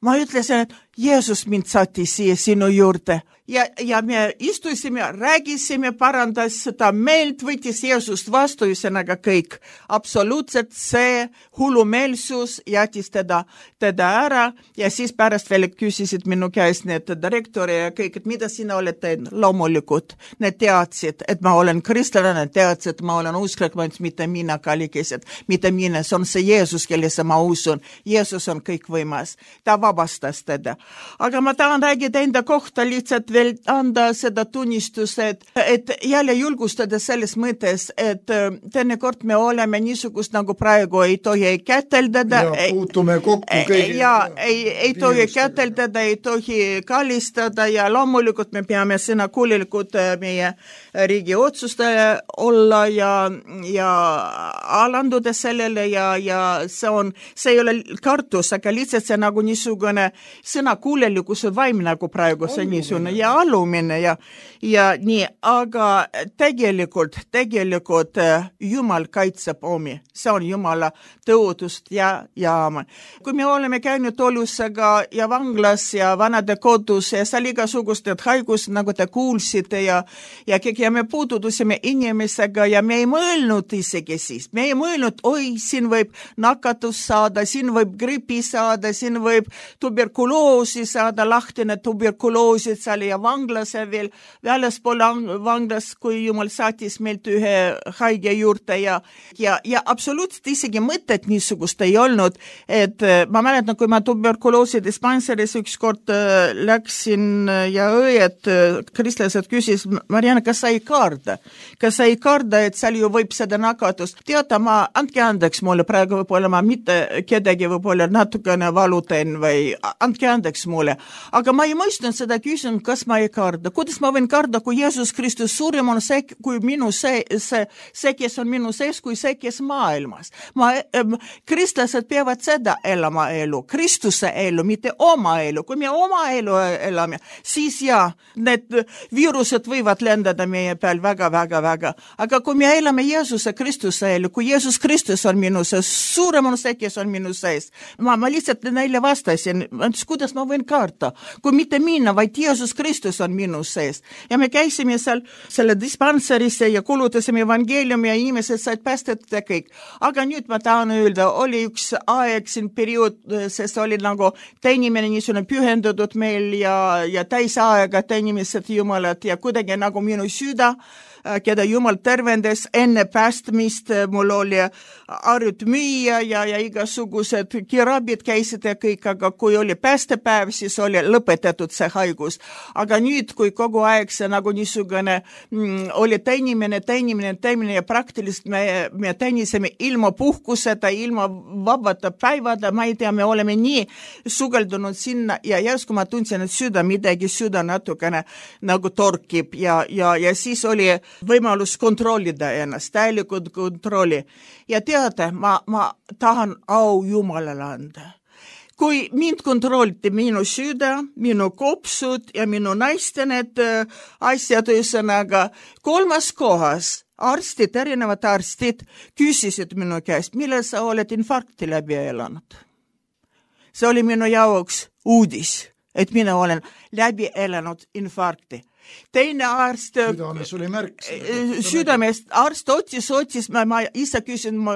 Ma ütlesin, et Jeesus mind saati siia sinu juurde. Ja, ja me istusime, räägisime, parandas seda meelt, võttis Jeesust vastu, üsõnaga kõik. Absoluutselt see hullumeelsus jätis teda, teda ära ja siis pärast veel küsisid minu käest need direktori ja kõik, et mida sina oled teinud? Loomulikult. Need teadsid, et ma olen kristlane, teadsid, et ma olen usklik, ma ütlesin, mitte mina kallikesed, mitte mina, see on see Jeesus, kellesse ma usun. Jeesus on kõik võimas. Ta vabastas teda. Aga ma tahan räägida enda kohta lihtsalt veel anda seda tunnistust, et, et jälle julgustada selles mõttes, et teinekord me oleme niisugust nagu praegu ei tohi käteldada. Ja puutume kokku kõigi. Ja ei, ei tohi käteldada, ei tohi kallistada ja loomulikult me peame sõna kuulilikud meie riigi otsustaja olla ja, ja alanduda sellele ja, ja see on, see ei ole kartus, aga lihtsalt see nagu niisugune sõna kuulilikkus on vaim nagu praegu see niisugune ja alumine ja, ja nii, aga tegelikult, tegelikult Jumal kaitseb omi. See on Jumala tõotust ja, ja kui me oleme käinud Olusega ja vanglas ja vanade kodus ja seal igasugused haigus, nagu te kuulsite ja, ja, ja me puudutusime inimesega ja me ei mõelnud isegi siis. Me ei mõelnud, oi, siin võib nakatus saada, siin võib gripi saada, siin võib tuberkuloosi saada, lahtine tuberkuloosid seal ja vanglas veel väljaspool vanglas, kui Jumal saatis meilt ühe haige juurde ja, ja, ja absoluutselt isegi mõtet niisugust ei olnud, et ma mäletan, kui ma tuberkuloosi dispanseris ükskord läksin ja õed, kristlased küsis, Marianne, kas sa ei karda? Kas sa ei karda, et seal ju võib seda nakatust? Teata, ma, andke andeks mulle praegu võib-olla, ma mitte kedagi võib-olla natukene valutan või andke andeks mulle, aga ma ei mõistnud seda küsinud, kas ma ei karda. Kuidas ma võin karda, kui Jeesus Kristus suurem on see, kui minu see, see, see, kes on minu sees, kui see, kes maailmas. Ma, ähm, kristlased peavad seda elama elu, Kristuse elu, mitte oma elu. Kui me oma elu elame, siis ja, need viirused võivad lendada meie peal väga, väga, väga. Aga kui me elame Jeesuse Kristuse elu, kui Jeesus Kristus on minu sees, suurem on see, kes on minu sees. Ma, ma lihtsalt neile vastasin, kuidas ma võin karta, kui mitte minna, vaid Jeesus Kristus Kristus on minu sees. Ja me käisime seal selle dispanserisse ja kulutasime evangeeliumi ja inimesed said päästetud ja kõik. Aga nüüd ma tahan öelda, oli üks aeg siin periood, sest oli nagu teenimine niisugune pühendatud meil ja, ja täisaega teenimist Jumalat ja kuidagi nagu minu süda, keda Jumal tervendas enne päästmist, mul oli arütmüüa ja, ja igasugused kirabid käisid ja kõik, aga kui oli päästepäev, siis oli lõpetatud see haigus. Aga nüüd, kui kogu aeg see nagu niisugune mm, oli teenimine, teenimine, teenimine ja praktiliselt me, me teenisime ilma puhkuseta, ilma vabata päivada, ma ei tea, me oleme nii sugeldunud sinna ja järsku ma tundsin, et süda midagi, süda natukene nagu torkib ja, ja, ja siis oli võimalus kontrollida ennast, täielikult kontrolli. Ja teate, ma, ma tahan au Jumalale anda. Kui mind kontrolliti minu süda, minu kopsud ja minu naiste need asjad üsanaga, kolmas kohas arstid, erinevad arstid küsisid minu käest, millal sa oled infarkti läbi elanud. See oli minu jaoks uudis, et mina olen läbi elanud infarkti. Teine arst südames oli märk südamest, arst otsis, otsis ma, ma ise küsin, ma,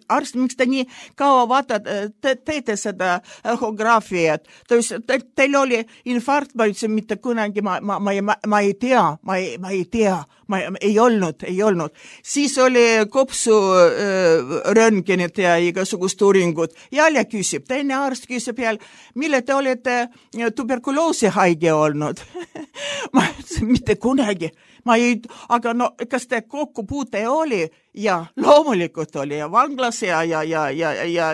arst, miks te nii kaua vaatad, te, teete seda echograafiat, te, teil oli infarkt, ma ütlesin, mitte kunagi, ma, ma, ma, ma, ma ei tea, ma ei, ma ei tea, ma ei olnud, ei olnud. Siis oli kopsu äh, röntgenid ja igasugust uuringud. Jälle küsib, teine arst küsib jälle, mille te olete tuberkuloosi haige olnud? Ma ütlesin, mitte kunagi. Ma ei, aga no, kas te kokkupuute oli? Ja loomulikult oli ja vanglas ja, ja, ja, ja, ja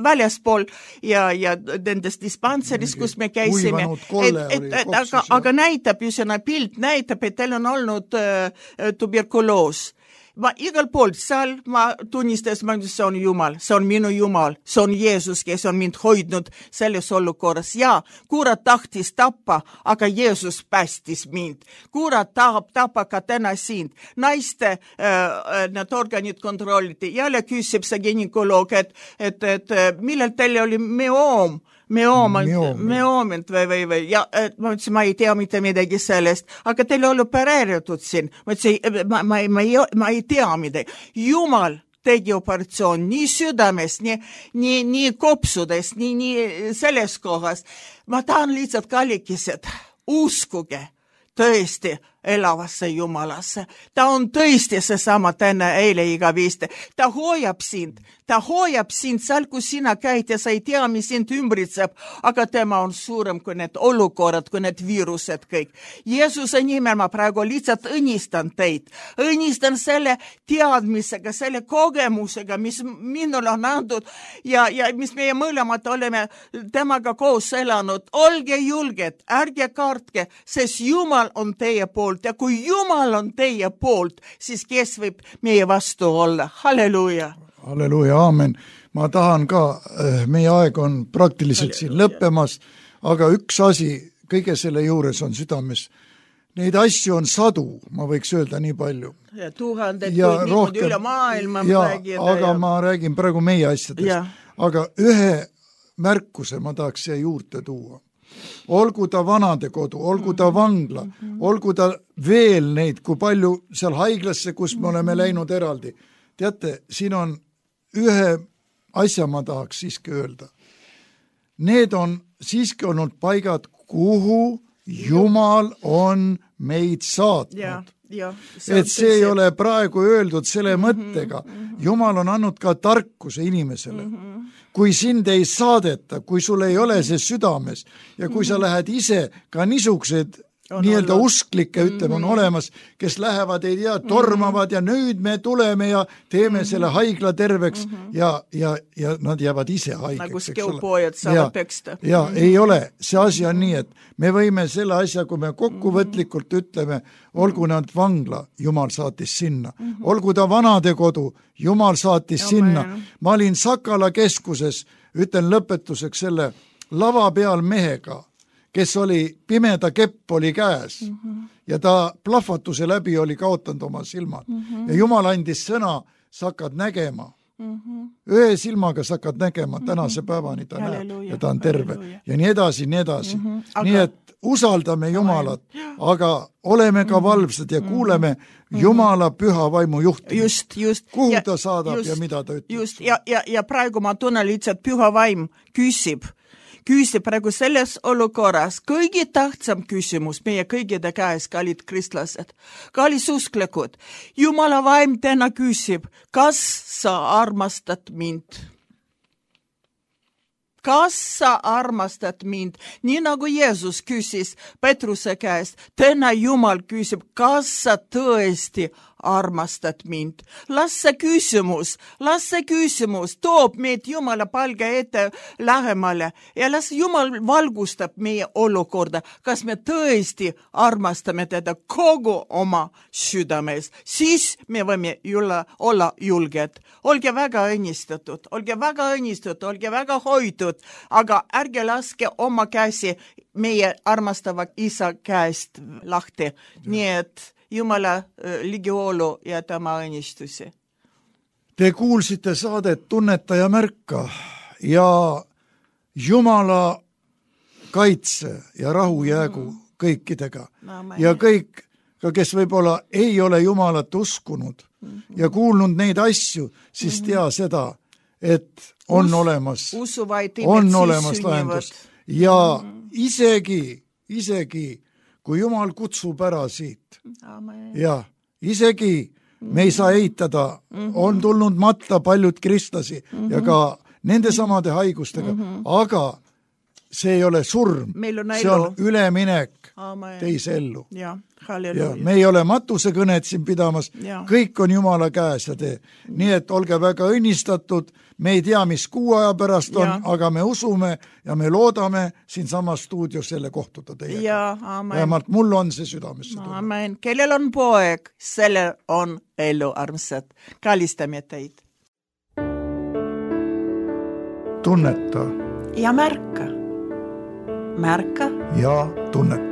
väljaspool ja, ja nendes dispanseris, kus me käisime. Et, et, et, aga, aga näitab ju selle pilt, näitab, et teil on olnud äh, tuberkuloos. Ma igal pool seal ma tunnistas, ma ütlesin, see on Jumal, see on minu Jumal, see on Jeesus, kes on mind hoidnud selles olukorras. Ja kurat tahtis tappa, aga Jeesus päästis mind. Kurat tahab tappa ka täna sind. Naiste äh, need organid kontrolliti. Jälle küsib see gynekoloog, et, et, et millal teil oli meoom? Meoomint, meoomint või, või, või, ja ma ütlesin, ma ei tea mitte midagi sellest, aga teil oli opereeritud siin. Ma ütlesin, ma, ma, ma, ei, ma ei tea midagi. Jumal tegi operatsioon nii südames, nii, nii, nii kopsudes, nii, nii selles kohas. Ma tahan lihtsalt kallikesed, uskuge tõesti elavasse Jumalasse. Ta on tõesti seesama tänne eile iga viiste. Ta hoiab sind, ta hoiab sind seal, kus sina käid ja sa ei tea, mis sind ümbritseb, aga tema on suurem kui need olukorrad, kui need viirused kõik. Jeesuse nimel ma praegu lihtsalt õnnistan teid. Õnnistan selle teadmisega, selle kogemusega, mis minul on antud ja, ja mis meie mõlemad oleme temaga koos elanud. Olge julged, ärge kartke, sest Jumal on teie poolt. Ja kui Jumal on teie poolt, siis kes võib meie vastu olla? Halleluuja! Halleluuja, aamen. Ma tahan ka, meie aeg on praktiliselt siin lõppemas, aga üks asi kõige selle juures on südames. Neid asju on sadu, ma võiks öelda nii palju. Ja tuhanded, kui niimoodi üle maailma ja, räägida. Aga ja... ma räägin praegu meie asjadest. Ja. Aga ühe märkuse ma tahaks siia juurde tuua. Olgu ta vanadekodu, olgu ta vangla, olgu ta veel neid, kui palju seal haiglasse, kus me oleme läinud eraldi. Teate, siin on ühe asja ma tahaks siiski öelda. Need on siiski olnud paigad, kuhu Jumal on meid saatnud. Ja, ja, see et see ei ole praegu öeldud selle mm-hmm, mõttega. Mm-hmm. Jumal on andnud ka tarkuse inimesele. Mm-hmm. Kui sind ei saadeta, kui sul ei ole see südames ja kui mm-hmm. sa lähed ise ka niisugused on nii-öelda olnud. Usklikke, ütleme, on mm-hmm. olemas, kes lähevad, ei tea, tormavad mm-hmm. ja nüüd me tuleme ja teeme mm-hmm. selle haigla terveks mm-hmm. ja, ja, ja nad jäävad ise haigeks. Nagu skeupojad saavad peksta. Ja mm-hmm. ei ole. See asi on nii, et me võime selle asja, kui me kokkuvõtlikult ütleme, olgu nad vangla, Jumal saatis sinna. Mm-hmm. Olgu ta vanadekodu, Jumal saatis ja sinna. Ma olin Sakala keskuses, ütlen lõpetuseks selle lava peal mehega, kes oli pimeda kepp oli käes mm-hmm. ja ta plahvatuse läbi oli kaotanud oma silmad. Mm-hmm. Ja Jumal andis sõna, sa hakkad nägema Mm-hmm. Ühe silmaga sa hakkad nägema, tänase päevani ta näeb ja ta on terve ja nii edasi, nii edasi. Mm-hmm. Aga... Nii et usaldame Jumalat, aga oleme ka valvsad ja kuuleme Jumala püha vaimu juhtimist. Just, just. Kuhu ja, ta saadab just, ja mida ta ütleb. Just, ja, ja, ja praegu ma tunnen lihtsalt püha vaim küsib. Küsib praegu selles olukorras kõige tähtsam küsimus meie kõigide käes, kallid kristlased, kallid usklikud. Jumala vaim täna küsib, kas sa armastad mind? Kas sa armastad mind? Nii nagu Jeesus küsis Petruse käest, täna Jumal küsib, kas sa tõesti armastad mind? Las see küsimus, las see küsimus toob meid Jumala palge ette lähemale ja las Jumal valgustab meie olukorda, kas me tõesti armastame teda kogu oma südames. Siis me võime julla, olla julged. Olge väga õnnistatud, olge väga õnnistatud, olge väga hoitud, aga ärge laske oma käsi meie armastava isa käest lahti. Nii et Jumala ligiolu ja tema õnnistusi. Te kuulsite saadet Tunneta ja märka ja Jumala kaitse ja rahu jäägu kõikidega. Ja kõik, ka kes võib-olla ei ole Jumalat uskunud ja kuulnud neid asju, siis tea seda, et on Us, olemas, on olemas lahendus. Ja isegi, isegi kui Jumal kutsub ära siit. Amen. Ja isegi me ei saa eitada, on tulnud matta paljud kristlasi mm-hmm. ja ka nende samade haigustega, mm-hmm. aga see ei ole surm, see on üleminek Amen. Teise ellu. Ja, ja me ei ole matusekõnet siin pidamas, ja. Kõik on Jumala käes ja tee. Nii et olge väga õnnistatud, me ei tea, mis kuu aja pärast on, ja. Aga me usume ja me loodame siin samas stuudios selle kohtuda teiega. Vähemalt mul on see südamesse tulnud. Amen. Kellel on poeg, selle on elu, armsad. Kallistame teid. Tunneta. Ja märka. Märka. Ja tunneta.